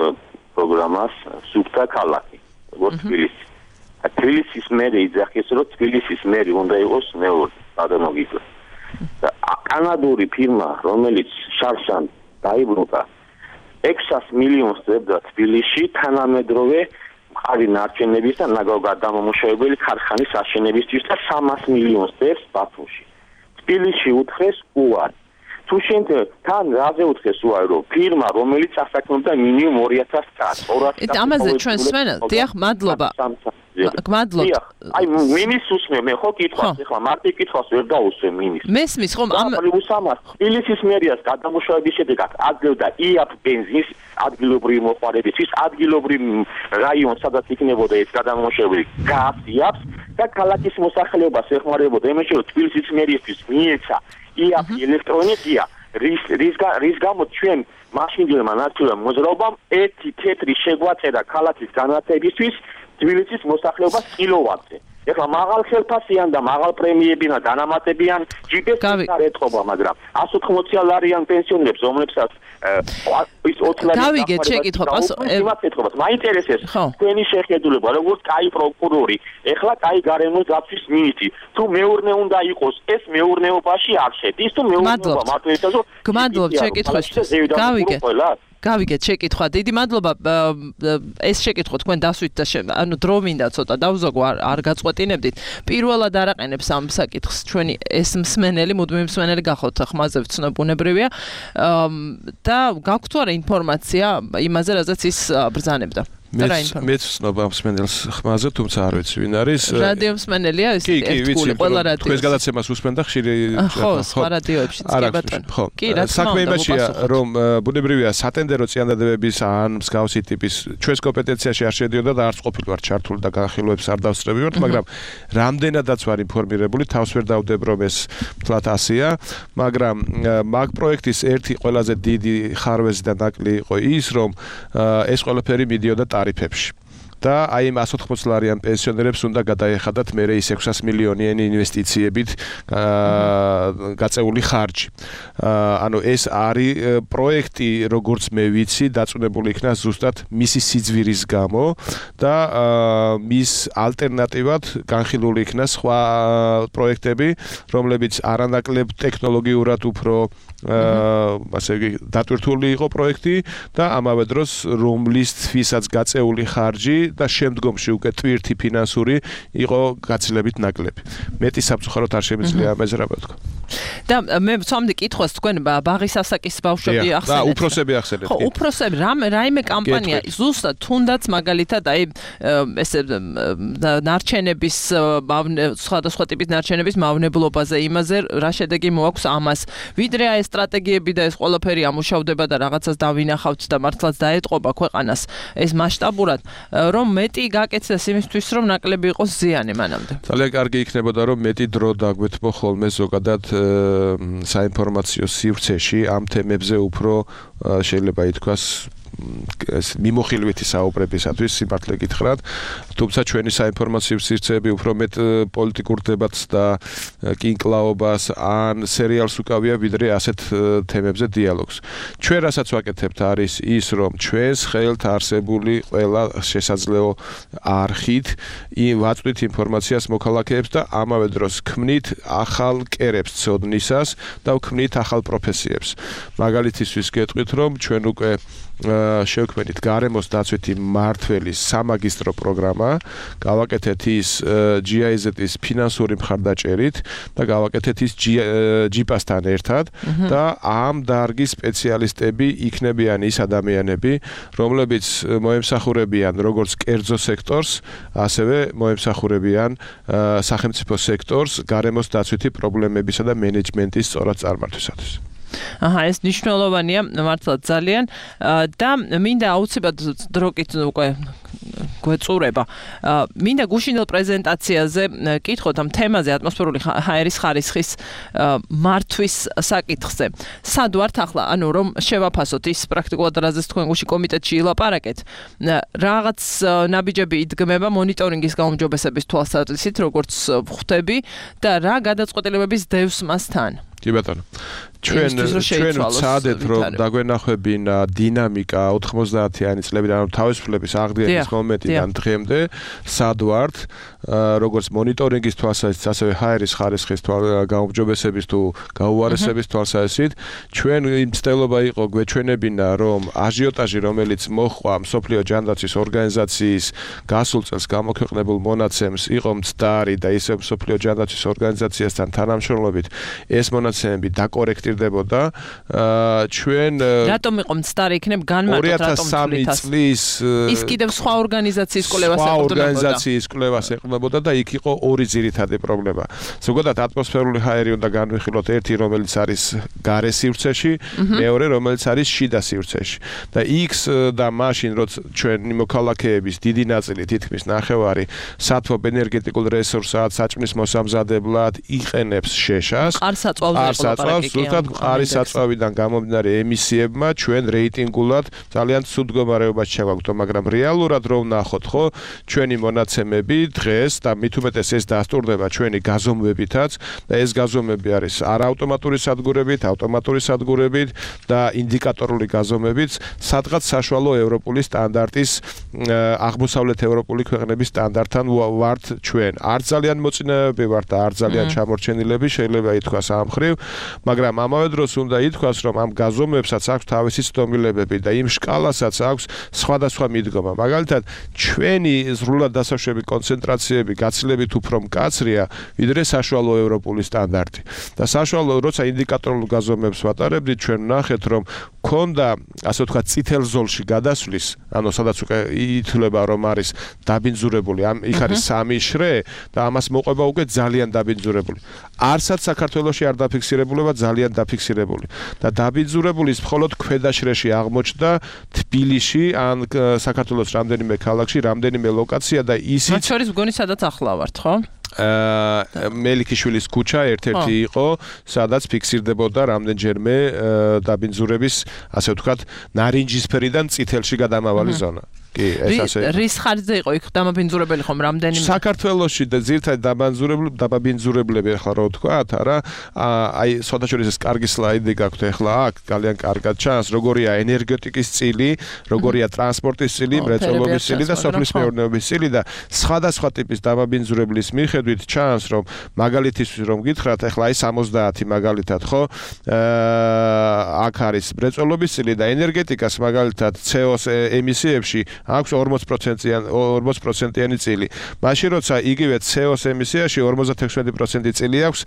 პროგრამას სუფთა ქალაქი, როგორც თბილისი. თბილისის მერი იძახის, რომ თბილისის მერი უნდა იყოს მეორე ბანო გიგლა. და კანადური ფირმა, რომელიც შარშან დაიბრუნდა 600 მილიონს დებდა თბილისში თანამედროვე მყარი ნარჩენების და ნაგავგადამამუშავებელი ქარხანის აშენებისთვის და 300 მილიონს დებს ბათუმში. თბილისში უთხრეს უარი. თუ შენ თან რაზე უთხრეს უარი, რომ ფირმა, რომელიც ასაკნობდა მინიმუმ 2000 წელს, 200. ამაზე ჩვენ სვენელთ, დიახ, მადლობა. გმადლობთ. აი მინის უსმე, მე ხო კითხავს, ეხლა მარტივ კითხვას ვერ დაუსვე მინის. მესმის ხომ ამ თბილისის მერიას გადამუშავების შედეგად აძლევდა იაფ ბენზინს ადგილობრივი მოხმარებისთვის, ადგილობრივ რაიონს, სადაც იქნებოდა ეს გადამუშავებული გაზ იაფს და ქალაქის მოსახლეობას ეხმარებოდა იმაში, რომ თბილისის მერიისთვის მიეცა იაფი ელექტრონიკა, რის გამო ჩვენ მაშინდელმა ნაციონალურ მოძრაობამ ერთი თეთრი შეგვაწერა ქალაქის განათებისთვის თბილისის მოსახლეობას კილოვატზე. ეხლა მაღალ ხელფასიან და მაღალ პრემიებიან და დანამატებიან ჯიპებს არ ეთყობა, მაგრამ 180 ლარიან პენსიონერებს, რომლებსაც ის 20 ლარი გავიგეთ შეკითხვა იმათ ეთყობას. მაინტერესებს თქვენი შეხედულება, როგორც კაი პროკურორი, ეხლა კაი გარემოს დაცვის მინისტრი, თუ მეურნე უნდა იყოს, ეს მეურნეობაში არ შედის, თუ მეურნეობა მარტო ეთაზო. გმადლობთ შეკითხვისთვის. გავიგეთ შეკითხვა. დიდი მადლობა. ეს შეკითხვა თქვენ დასვით და ანუ დრო მინდა ცოტა დავზოგო არ გაწყვეტინებდით. პირველად არაყენებს ამ საკითხს ჩვენი ეს მსმენელი, მუდმივი მსმენელი გახოთ ხმაზე ვცნობუნებრივია. და გაქვთ თუ არა ინფორმაცია იმაზე, რაზეც ის ბრძანებდა? მეც ვცნობა მსმენელს ხმაზე, თუმცა არ ვიცი ვინ არის. რადიო მსმენელია ეს ერთგული ყველა რადიო. თქვენს გადაცემას უსმენდა ხშირი ხო, სხვა რადიოებშიც კი ბატონო. კი, რა თქმა საქმე იმაშია, რომ ბუნებრივია სატენდერო წინადადებების ან მსგავსი ტიპის ჩვენს კომპეტენციაში არ შედიოდა და არც ყოფილვარ ჩართული და განხილვებს არ დავსწრებივართ, მაგრამ რამდენადაც ვარ ინფორმირებული, თავს ვერ დავდებ რომ ეს თლათ ასია, მაგრამ მაგ პროექტის ერთი ყველაზე დიდი ხარვეზი და ნაკლი იყო ის, რომ ეს ყველაფერი მიდიოდა ტარიფებში. და აი იმ 180 ლარიან პენსიონერებს უნდა გადაეხადათ მერე ის 600 მილიონიანი ინვესტიციებით გაწეული ხარჯი. ანუ ეს არის პროექტი, როგორც მე ვიცი, დაწუნებული იქნა ზუსტად მისი სიძვირის გამო და მის ალტერნატივად განხილული იქნა სხვა პროექტები, რომლებიც არანაკლებ ტექნოლოგიურად უფრო ასე იგი დატვირთული იყო პროექტი და ამავე დროს რომლისთვისაც გაწეული ხარჯი და შემდგომში უკვე ტვირთი ფინანსური იყო გაცილებით ნაკლები. მეტი სამწუხაროდ არ შემიძლია ამაზე რა ვთქვა. და მე ვცამდი კითხვას თქვენ ბაღის ასაკის ბავშვები ახსენეთ. და უფროსები ახსენეთ. ხო, უფროსები რაიმე კამპანია ზუსტად თუნდაც მაგალითად აი ესე ნარჩენების სხვადასხვა ტიპის ნარჩენების მავნებლობაზე იმაზე რა შედეგი მოაქვს ამას. ვიდრე აი სტრატეგიები და ეს ყველაფერი ამუშავდება და რაღაცას დავინახავთ და მართლაც დაეტყობა ქვეყანას ეს მასშტაბურად რომ მეტი გაკეთდეს იმისთვის რომ ნაკლები იყოს ზიანი მანამდე. ძალიან კარგი იქნებოდა რომ მეტი დრო დაგვეთმო ხოლმე ზოგადად საინფორმაციო სივრცეში ამ თემებზე უფრო შეიძლება ითქვას მიმოხილვითი საუბრებისათვის სიმართლე გითხრათ, თუმცა ჩვენი საინფორმაციო სივრცეები უფრო მეტ პოლიტიკურ დებატს და კინკლაობას ან სერიალს უკავია ვიდრე ასეთ თემებზე დიალოგს. ჩვენ რასაც ვაკეთებთ არის ის, რომ ჩვენს ხელთ არსებული ყველა შესაძლო არხით ვაწვდით ინფორმაციას მოქალაქეებს და ამავე დროს ქმნით ახალ კერებს ცოდნისას და ვქმნით ახალ პროფესიებს. მაგალითისთვის გეტყვით, რომ ჩვენ უკვე შევქმნით გარემოს დაცვითი მმართველის სამაგისტრო პროგრამა, გავაკეთეთ ის GIZ-ის ფინანსური მხარდაჭერით და გავაკეთეთ ის JIPA-სთან ერთად და ამ დარგის სპეციალისტები იქნებიან ის ადამიანები, რომლებიც მოემსახურებიან როგორც კერძო სექტორს, ასევე მოემსახურებიან სახელმწიფო სექტორს გარემოს დაცვითი პრობლემებისა და მენეჯმენტის სწორად წარმართვისათვის. ეს მნიშვნელოვანია მართლაც ძალიან და მინდა აუცილებლად დროკით უკვე გვეწურება. მინდა გუშინდელ პრეზენტაციაზე კითხოთ ამ თემაზე ატმოსფერული ჰაერის ხარისხის მართვის საკითხზე. სად ვართ ახლა, ანუ რომ შევაფასოთ ის პრაქტიკულად რაზეც თქვენ გუში კომიტეტში ილაპარაკეთ. რაღაც ნაბიჯები იდგმება მონიტორინგის გაუმჯობესების თვალსაზრისით, როგორც ხვდები და რა გადაწყვეტილებების დევს მასთან. კი ბატონო. ჩვენ ვცადეთ რომ დაგვენახვებინა დინამიკა 90-იანი წლებიდან, ანუ თავისუფლების აღდგენის მომენტიდან დღემდე, სად ვართ, როგორც მონიტორინგის თვალსაზრისით, ასევე ჰაერის ხარისხის გაუმჯობესების თუ გაუარესების თვალსაზრისით, ჩვენ მცდელობა იყო გვეჩვენებინა, რომ აჟიოტაჟი, რომელიც მოჰყვა მსოფლიო ჯანდაცვის ორგანიზაციის გასულ წელს გამოქვეყნებულ მონაცემს, იყო მცდარი და ისევ მსოფლიო ჯანდაცვის ორგანიზაციასთან თანამშრომლობით ეს მონაცემები დაკორექტირდებოდა. ჩვენ რატომ იყო მცდარი იქნებ განმარტოთ რატომ 2003 წლის ის კიდევ სხვა ორგანიზაციის კვლევას ეყრდნობოდა. სხვა ორგანიზაციის კვლევას ეყრდნობოდა და იქ იყო ორი ძირითადი პრობლემა. ზოგადად ატმოსფერული ჰაერი უნდა განვიხილოთ, ერთი რომელიც არის გარე სივრცეში, მეორე რომელიც არის შიდა სივრცეში. და X და მაშინ როცა ჩვენი მოქალაქეების დიდი ნაწილი თითქმის ნახევარი სათვალ ენერგეტიკულ რესურსად, საჭმლის მოსამზადებლად იყენებს შეშას. იყო ლაპარაკი. ზუსტად არის საწვავიდან გამომდინარე ემისიებმა ჩვენ რეიტინგულად ძალიან ცუდ მდგომარეობაში ჩავაგდო, მაგრამ რეალურად რომ ნახოთ, ხო, ჩვენი მონაცემები დღეს და მით უმეტეს ეს დასტურდება ჩვენი გაზომვებითაც და ეს გაზომვები არის არაავტომატური სადგურებით, ავტომატური სადგურებით და ინდიკატორული გაზომებით, სადღაც საშუალო ევროპული სტანდარტის აღმოსავლეთ ევროპული ქვეყნების სტანდარტთან ვართ ჩვენ. არ ძალიან მოწინააღები ვართ და არ ძალიან ჩამორჩენილები შეიძლება ითქვას ამ მხრივ, მაგრამ ამავე დროს უნდა ითქვას, რომ ამ გაზომვებსაც აქვს თავისი ცდომილებები და იმ შკალასაც აქვს სხვადასხვა მიდგომა. მაგალითად, ჩვენი ზრულად დასაშვები კონცენტრაციები გაცილებით უფრო მკაცრია, ვიდრე საშუალო ევროპული სტანდარტი. და საშუალო, როცა ინდიკატორულ გაზომვებს ვატარებდით, ჩვენ ვნახეთ, რომ ქონდა, ასე ვთქვათ, წითელ ზოლში გადასვლის, ანუ სადაც უკვე ითვლება, რომ არის დაბინძურებული, იქ არის 3 შრე და ამას მოყვება უკვე ძალიან დაბინძურებული. არცაც საქართველოში არ დაფიქსირებულა, ძალიან დაფიქსირებული. და დაბინძურებულის მხოლოდ ქვედა შრეში აღმოჩნდა თბილისში, ან საქართველოს რამდენიმე ქალაქში, რამდენიმე ლოკაცია და ისიც მათ შორის მგონი სადაც ახლა ვართ, ხო? მელიქიშვილის ქუჩა ერთ-ერთი იყო, სადაც ფიქსირდებოდა რამდენჯერმე დაბინძურების, ასე ვთქვათ, ნარინჯისფერიდან წითელში გადამავალი ზონა. კი, ეს ასე. რის ხარჯზე იყო იქ დამაბინძურებელი ხომ რამდენიმე? საქართველოში და ძირთადად დამაბინძურებლები ახლა რო ვთქვათ, არა, აი, სხვადასხვა ეს კარგი სლაიდი გაქვთ ახლა აქ, ძალიან კარგად ჩანს, როგორია ენერგეტიკის წილი, როგორია ტრანსპორტის წილი, მრეწველობის წილი და სოფლის მეურნეობის წილი და სხვადასხვა ტიპის დამაბინძურებლის მიხედვით ჩანს, რომ მაგალითისთვის რომ გითხრათ, ახლა აი 70 მაგალითად, ხო? აქ არის მრეწველობის წილი და ენერგეტიკას მაგალითად CO2 ემისიებში აქვს 40%-იანი წილი. მაშინ როცა იგივე CO2 ემისიაში 56% წილი აქვს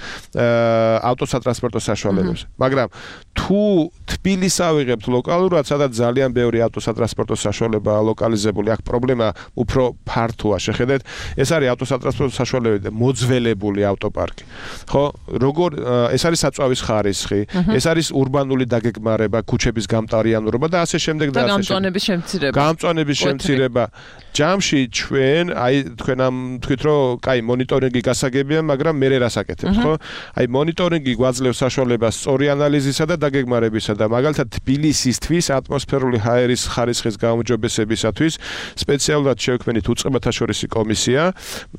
ავტოსატრანსპორტო საშუალებებს. მაგრამ თუ თბილისს ავიღებთ ლოკალურად, სადაც ძალიან ბევრი ავტოსატრანსპორტო საშუალებაა ლოკალიზებული, აქ პრობლემა უფრო ფართოა. შეხედეთ, ეს არის ავტოსატრანსპორტო საშუალებები და მოძველებული ავტოპარკი. ხო, როგორ ეს არის საწვავის ხარისხი, ეს არის ურბანული დაგეგმარება, ქუჩების გამტარიანურობა და ასე შემდეგ და ასე შემდეგ. გამწვანების შემცირება. ჯამში ჩვენ, აი თქვენ ამ თქვით, რომ კაი მონიტორინგი გასაგებია, მაგრამ მე რას აკეთებ, ხო? აი მონიტორინგი გვაძლევს საშუალებას სწორი ანალიზისა და დაგეგმარებისა და მაგალითად თბილისისთვის ატმოსფერული ჰაერის ხარისხის გაუმჯობესებისათვის სპეციალურად შევქმნით უწყებათაშორისი კომისია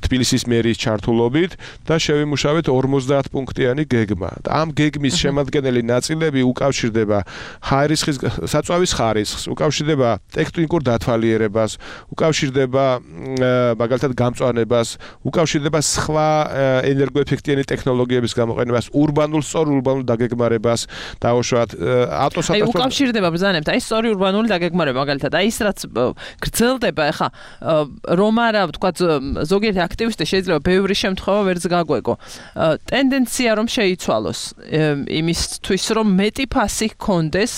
თბილისის მერის ჩართულობით და შევიმუშავეთ 50 პუნქტიანი გეგმა. და ამ გეგმის შემადგენელი ნაწილები უკავშირდება ჰაერისხის საწვავის ხარისხს, უკავშირდება ტექტონიკურ დათვალიერებას, უკავშირდება მაგალითად გამწვანებას, უკავშირდება სხვა ენერგოეფექტიანი ტექნოლოგიების გამოყენებას, სწორ ურბანულ დაგეგმარებას, დაუშვათ ავტოსატრანსპორტო. აი უკავშირდება ბრძანებთ, აი სწორი ურბანული დაგეგმარება მაგალითად, აი ის რაც გრძელდება, ახლა რომ არა, ვთქვათ, ზოგიერთი აქტივისტი შეიძლება ბევრი შემთხვევა ვერც გაგვეგო. ტენდენცია რომ შეიცვალოს იმისთვის, რომ მეტი ფასი ჰქონდეს,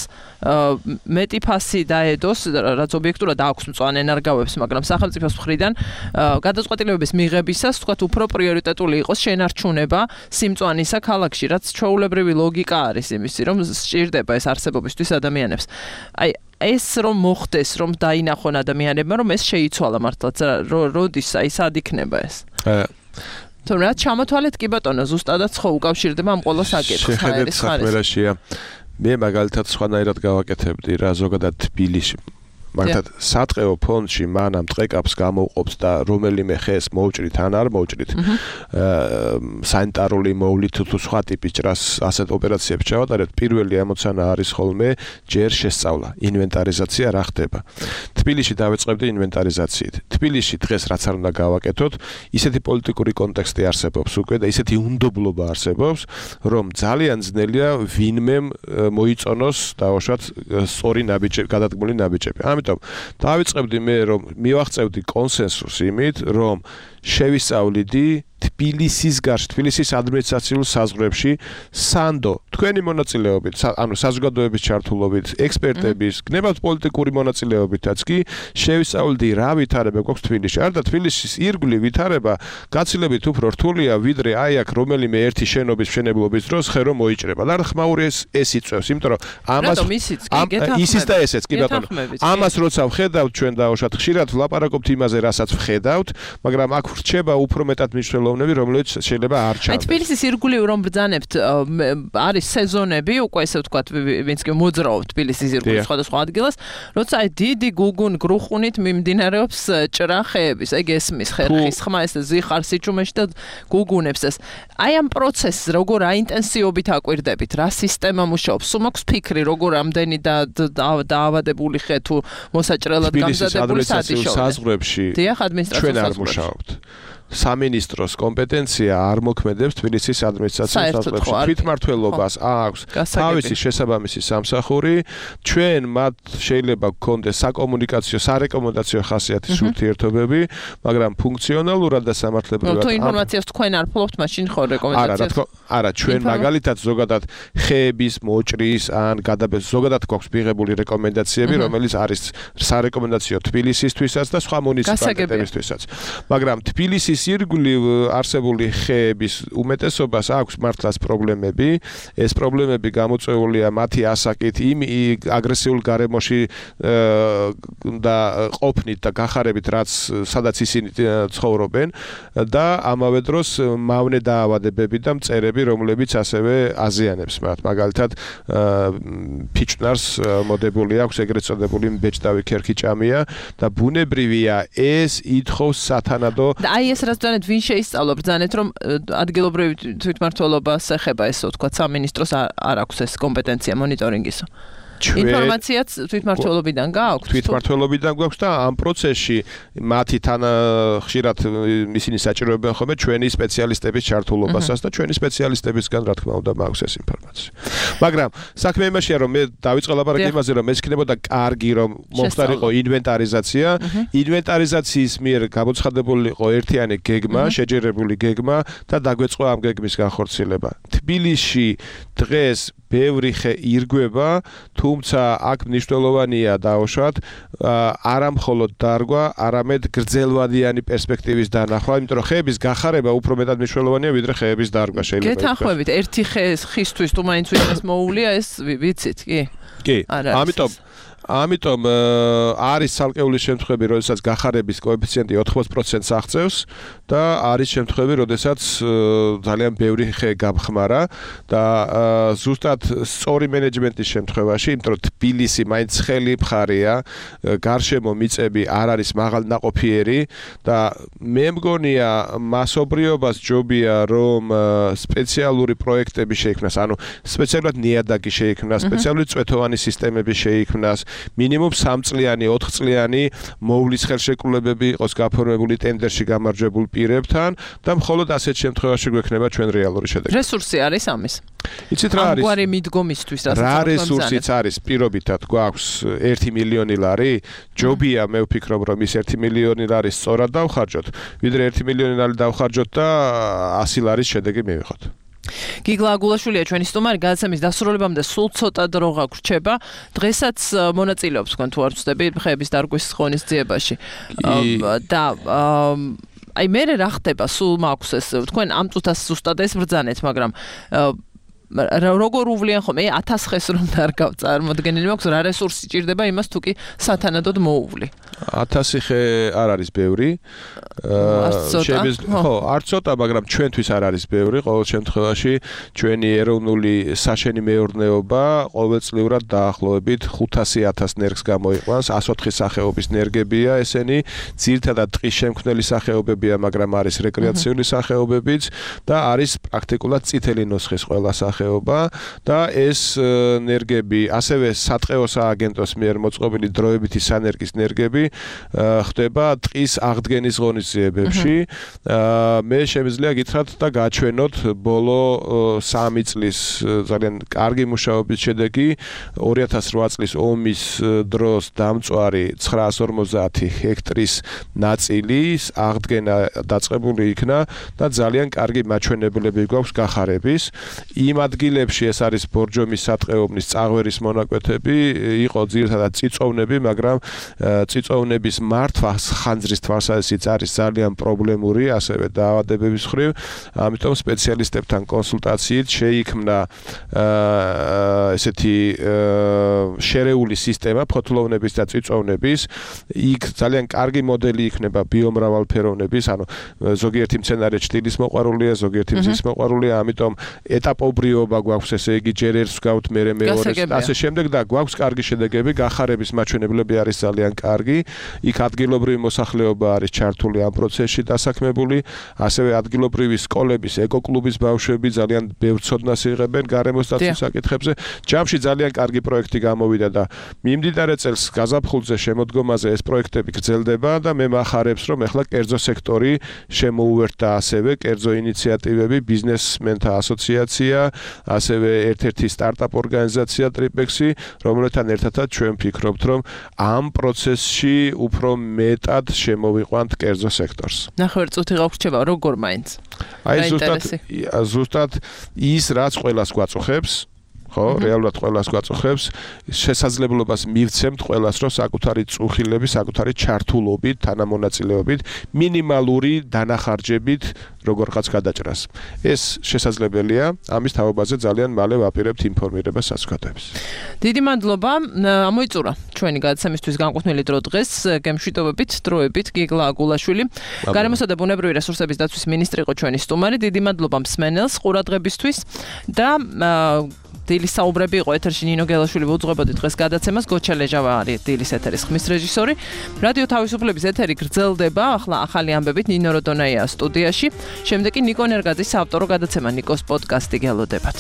მეტი ფასი დაედოს, რაც ობიექტურად აქვს მწვანე ნარგავებს, მაგრამ სახელმწიფოს მხრიდან გადაწყვეტილებების მიღებისას, თქვათ, უფრო პრიორიტეტული იყოს შენარჩუნება სიმწვანისა ქალაქში, რაც ჩვეულებრივი ლოგიკა არის იმისი, რომ სჭირდება ეს არსებობისთვის ადამიანებს. აი ეს რომ მოხდეს, რომ დაინახონ ადამიანებმა, რომ ეს შეიცვალა მართლაც, როდის აი სად იქნება ეს? თუმცა რაც ჩამოთვალეთ კი ბატონო, ზუსტადაც ხო უკავშირდება ამ ყველა საკითხს, ჰაერის ხარისხს. მე მაგალითად სხვანაირად გავაკეთებდი რა ზოგადად თბილისში. მაგალითად სატყეო ფონდში მანამ ტყეკაპს გამოვყოფს და რომელიმე ხეს მოვჭრით ან არ მოვჭრით სანიტარული მოვლით თუ სხვა ტიპის ჭრას ასეთ ოპერაციებს ჩავატარებთ, პირველი ამოცანა არის ხოლმე ჯერ შესწავლა, ინვენტარიზაცია რა ხდება. თბილისში დავეწყებდი ინვენტარიზაციით. თბილისში დღეს რაც არ უნდა გავაკეთოთ, ისეთი პოლიტიკური კონტექსტი არსებობს უკვე და ისეთი უნდობლობა არსებობს, რომ ძალიან ძნელია ვინმემ მოიწონოს დაუშვათ სწორი ნაბიჯები, გადადგმული ნაბიჯები. ამიტომ დავიწყებდი მე რომ მივაღწევდი კონსენსუსს იმით, რომ შევისწავლიდი თბილისის გარშ, თბილისის ადმინისტრაციულ საზღვრებში სანდო, თქვენი მონაწილეობით, ანუ საზოგადოების ჩართულობით, ექსპერტების, გნებავთ პოლიტიკური მონაწილეობითაც კი შევისწავლდი რა ვითარება გვაქვს თბილისში. არა და თბილისის ირგვლივ ვითარება გაცილებით უფრო რთულია, ვიდრე აი აქ რომელიმე ერთი შენობის მშენებლობის დროს ხე რომ მოიჭრება. და ხმაური ეს იწევს, იმიტომ რომ ამას ისიც და ესეც კი ბატონო. ამას როცა ვხედავთ ჩვენ დაუშვათ ხშირად ვლაპარაკობთ იმაზე, რასაც ვხედავთ, მაგრამ აქ ვრჩება უფრო მეტად მნიშვნელოვანი ხელოვნები, რომლებიც შეიძლება არ ჩანდეს. აი თბილისის ირგვლივ რომ ბრძანებთ, არის სეზონები, უკვე ესე ვთქვათ, ვინც კი მოძრაობს თბილისის ირგვლივ სხვადასხვა ადგილას, როცა აი დიდი გუგუნ-გრუხუნით მიმდინარეობს ჭრახეების, აი გესმის ხერხის ხმა, ეს ზიხარ სიჩუმეში და გუგუნებს ეს. აი ამ პროცესს როგორ აინტენსივობით აკვირდებით, რა სისტემა მუშაობს? სულ მაქვს ფიქრი, როგორ ამდენი დაავადებული ხე თუ მოსაჭრელად გამზადებული სადიშოვე. საზღვრებში ჩვენ არ მუშაობთ. სამინისტროს კომპეტენცია არ მოქმედებს თბილისის ადმინისტრაციის საზღვრებში. თვითმმართველობას აქვს თავისი შესაბამისი სამსახური. ჩვენ მათ შეიძლება გქონდეს საკომუნიკაციო, სარეკომენდაციო ხასიათის ურთიერთობები, მაგრამ ფუნქციონალურად და სამართლებრივად თუ ინფორმაციას თქვენ არ ფლობთ, მაშინ ხო რეკომენდაციას? არა, ჩვენ მაგალითად ზოგადად ხეების მოჭრის ან გადაბეჭდის ზოგადად გვაქვს მიღებული რეკომენდაციები, რომელიც არის სარეკომენდაციო თბილისისთვისაც და სხვა მუნიციპალიტეტებისთვისაც. მაგრამ თბილისის ირგვლივ არსებული ხეების უმეტესობას აქვს მართლაც პრობლემები. ეს პრობლემები გამოწვეულია მათი ასაკით, იმ აგრესიულ გარემოში და ყოფნით და გახარებით, რაც სადაც ისინი ცხოვრობენ და ამავე დროს მავნე დაავადებები და მწერები, რომლებიც ასევე აზიანებს მათ. მაგალითად, ფიჭვნარს მოდებული აქვს ეგრეთ წოდებული ბეჭდავი ქერქიჭამია და ბუნებრივია ეს ითხოვს სათანადო. აი ეს რაც ბრძანეთ, ვინ შეისწავლა ბრძანეთ, რომ ადგილობრივი თვითმმართველობას ეხება ესე ვთქვათ, სამინისტროს არ აქვს ეს კომპეტენცია მონიტორინგისო. ინფორმაციაც თვითმმართველობიდან გააქვთ? თვითმმართველობიდან გვაქვს და ამ პროცესში მათი თან ხშირად ისინი საჭიროებენ ხოლმე ჩვენი სპეციალისტების ჩართულობასაც და ჩვენი სპეციალისტებისგან რა თქმა უნდა მაქვს ეს ინფორმაცია. მაგრამ საქმე იმაშია, რომ მე დავიწყე ლაპარაკი იმაზე, რომ ეს იქნებოდა კარგი, რომ მომხდარიყო ინვენტარიზაცია. ინვენტარიზაციის მიერ გამოცხადებული იყო ერთიანი გეგმა, შეჯერებული გეგმა და დაგვეწყო ამ გეგმის განხორციელება. თბილისში დღეს ბევრი ხე ირგვება, თუმცა აქ მნიშვნელოვანია დაუშვათ არა მხოლოდ დარგვა, არამედ გრძელვადიანი პერსპექტივის დანახვა, იმიტომ რომ ხეების გახარება უფრო მეტად მნიშვნელოვანია, ვიდრე ხეების დარგვა შეიძლება. გეთანხმებით, ერთი ხისთვის თუ მაინც ვინმეს მოუვლია, ეს ვიცით, კი? კი, ამიტომ არის ცალკეული შემთხვევები, როდესაც გახარების კოეფიციენტი 80%-ს აღწევს და არის შემთხვევები, როდესაც ძალიან ბევრი ხე გამხმარა და ზუსტად სწორი მენეჯმენტის შემთხვევაში, იმიტომ რომ თბილისი მაინც ცხელი მხარეა, გარშემო მიწები არ არის მაღალნაყოფიერი და მე მგონია მასობრიობას ჯობია, რომ სპეციალური პროექტები შეიქმნას, ანუ სპეციალურად ნიადაგი შეიქმნას, სპეციალური წვეთოვანი სისტემები შეიქმნას, მინიმუმ 3 წლიანი, 4 წლიანი მოვლის ხელშეკრულებები იყოს გაფორმებული ტენდერში გამარჯვებულ პირებთან და მხოლოდ ასეთ შემთხვევაში გვექნება ჩვენ რეალური შედეგი. რესურსი არის ამის? იცით რა არის? ამგვარი მიდგომისთვის რა რესურსიც არის? პირობითად გვაქვს 1 მილიონი ლარი, ჯობია მე ვფიქრობ, რომ ის 1 მილიონი ლარი სწორად დავხარჯოთ, ვიდრე 1 მილიონი ლარი დავხარჯოთ და 100 ლარის შედეგი მივიღოთ. გიგლა აგულაშვილია ჩვენი სტუმარი, გადაცემის დასრულებამდე სულ ცოტა დრო გაგვრჩება. დღესაც მონაწილეობს თქვენ თუ არ ვწდები ხეების დარგვის ღონისძიებაში. და აი მე რა ხდება, სულ მაქვს ეს თქვენ ამ წუთას ზუსტად ეს ბრძანეთ, მაგრამ როგორ უვლიან ხოლმე 1000 ხეს რომ დარგავ წარმოდგენილი მაქვს, რა რესურსი ჭირდება იმას თუ კი სათანადოდ მოუვლი. 1000 ხე არ არის ბევრი. არ ცოტა, მაგრამ ჩვენთვის არ არის ბევრი. ყოველ შემთხვევაში ჩვენი ეროვნული საშენი მეურნეობა ყოველწლიურად დაახლოებით 500.000 ნერგს გამოიყვანს. 104 სახეობის ნერგებია ესენი, ძირითადად ტყის შემქმნელი სახეობებია, მაგრამ არის რეკრეაციული სახეობებიც და არის პრაქტიკულად წითელი ნუსხის ყველა სახეობა და ეს ნერგები, ასევე სატყეო სააგენტოს მიერ მოწყობილი დროებითი სანერგის ნერგები ხდება ტყის აღდგენის ღონისძიებებში. მე შემიძლია გითხრათ და გაჩვენოთ ბოლო 3 წლის ძალიან კარგი მუშაობის შედეგი 2008 წლის ომის დროს დამწვარი 950 ჰექტრის ნაწილის აღდგენა დაწყებული იქნა და ძალიან კარგი მაჩვენებლები გვაქვს გახარების. იმ ადგილებში ეს არის ბორჯომის სატყეობნის წაღვერის მონაკვეთები, იყო ძირითადად წიწოვნები, მაგრამ წიწოვნების მართვა ხანძრის თვალსაზრისით არის ძალიან პრობლემური, ასევე დაავადებების მხრივ, ამიტომ სპეციალისტებთან კონსულტაციით შეიქმნა ესეთი შერეული სისტემა ფოთლოვნების და წიწოვნების. იქ ძალიან კარგი მოდელი იქნება ბიომრავალფეროვნების, ანუ ზოგიერთი მცენარე ჭრილის მოყვარულია, ზოგიერთი მზის მოყვარულია, ამიტომ ეტაპობრიობა გვაქვს, ესე იგი ჯერ ერთს გავთ, მერე მეორეს, ასე შემდეგ და გვაქვს კარგი შედეგები, გახარების მაჩვენებლები არის ძალიან კარგი. იქ ადგილობრივი მოსახლეობა არის ჩართული ამ პროცესში დასაქმებული, ასევე ადგილობრივი სკოლების, ეკოკლუბის ბავშვები ძალიან ბევრ ცოდნას იღებენ გარემოს დაცვის საკითხებზე. ჯამში ძალიან კარგი პროექტი გამოვიდა და მიმდინარე წელს გაზაფხულზე შემოდგომაზე ეს პროექტები გრძელდება და მე მახარებს, რომ ეხლა კერძო სექტორი შემოუერთდა ასევე კერძო ინიციატივები, ბიზნესმენთა ასოციაცია, ასევე ერთ-ერთი სტარტაპ ორგანიზაცია ტრიპექსი, რომელთან ერთადაც ჩვენ ვფიქრობთ, რომ ამ პროცესში უფრო მეტად შემოვიყვანთ კერძო სექტორს. ნახევარწუთი გავრჩება, როგორ მაინც? აი ზუსტად ის რაც ყველას გვაწუხებს, ხო, რეალურად ყველას გვაწუხებს, შესაძლებლობას მივცემთ ყველას, რომ საკუთარი წუხილების, საკუთარი ჩართულობით, თანამონაწილეობით, მინიმალური დანახარჯებით როგორღაც გადაჭრას. ეს შესაძლებელია, ამის თაობაზე ძალიან მალე ვაპირებთ ინფორმირებას საზოგადოებას. დიდი მადლობა, ამოიწურა ჩვენი გადაცემისთვის განკუთვნილი დრო დღეს, გემშვიდობებით, დროებით, გიგლა აგულაშვილი. გარემოსა და ბუნებრივი რესურსების დაცვის მინისტრი იყო ჩვენი სტუმარი. დიდი მადლობა მსმენელს ყურადღებისთვის და დილის საუბრები იყო ეთერში ნინო გელაშვილი ვუძღვებოდი დღეს გადაცემას, გოჩა ლეჟავა არის დილის ეთერის ხმის რეჟისორი. რადიო თავისუფლების ეთერი გრძელდება, ახლა ახალი ამბებით ნინო როდონაია სტუდიაში. შემდეგ კი ნიკო ნერგაძის საავტორო გადაცემა ნიკოს პოდკასტი გელოდებათ.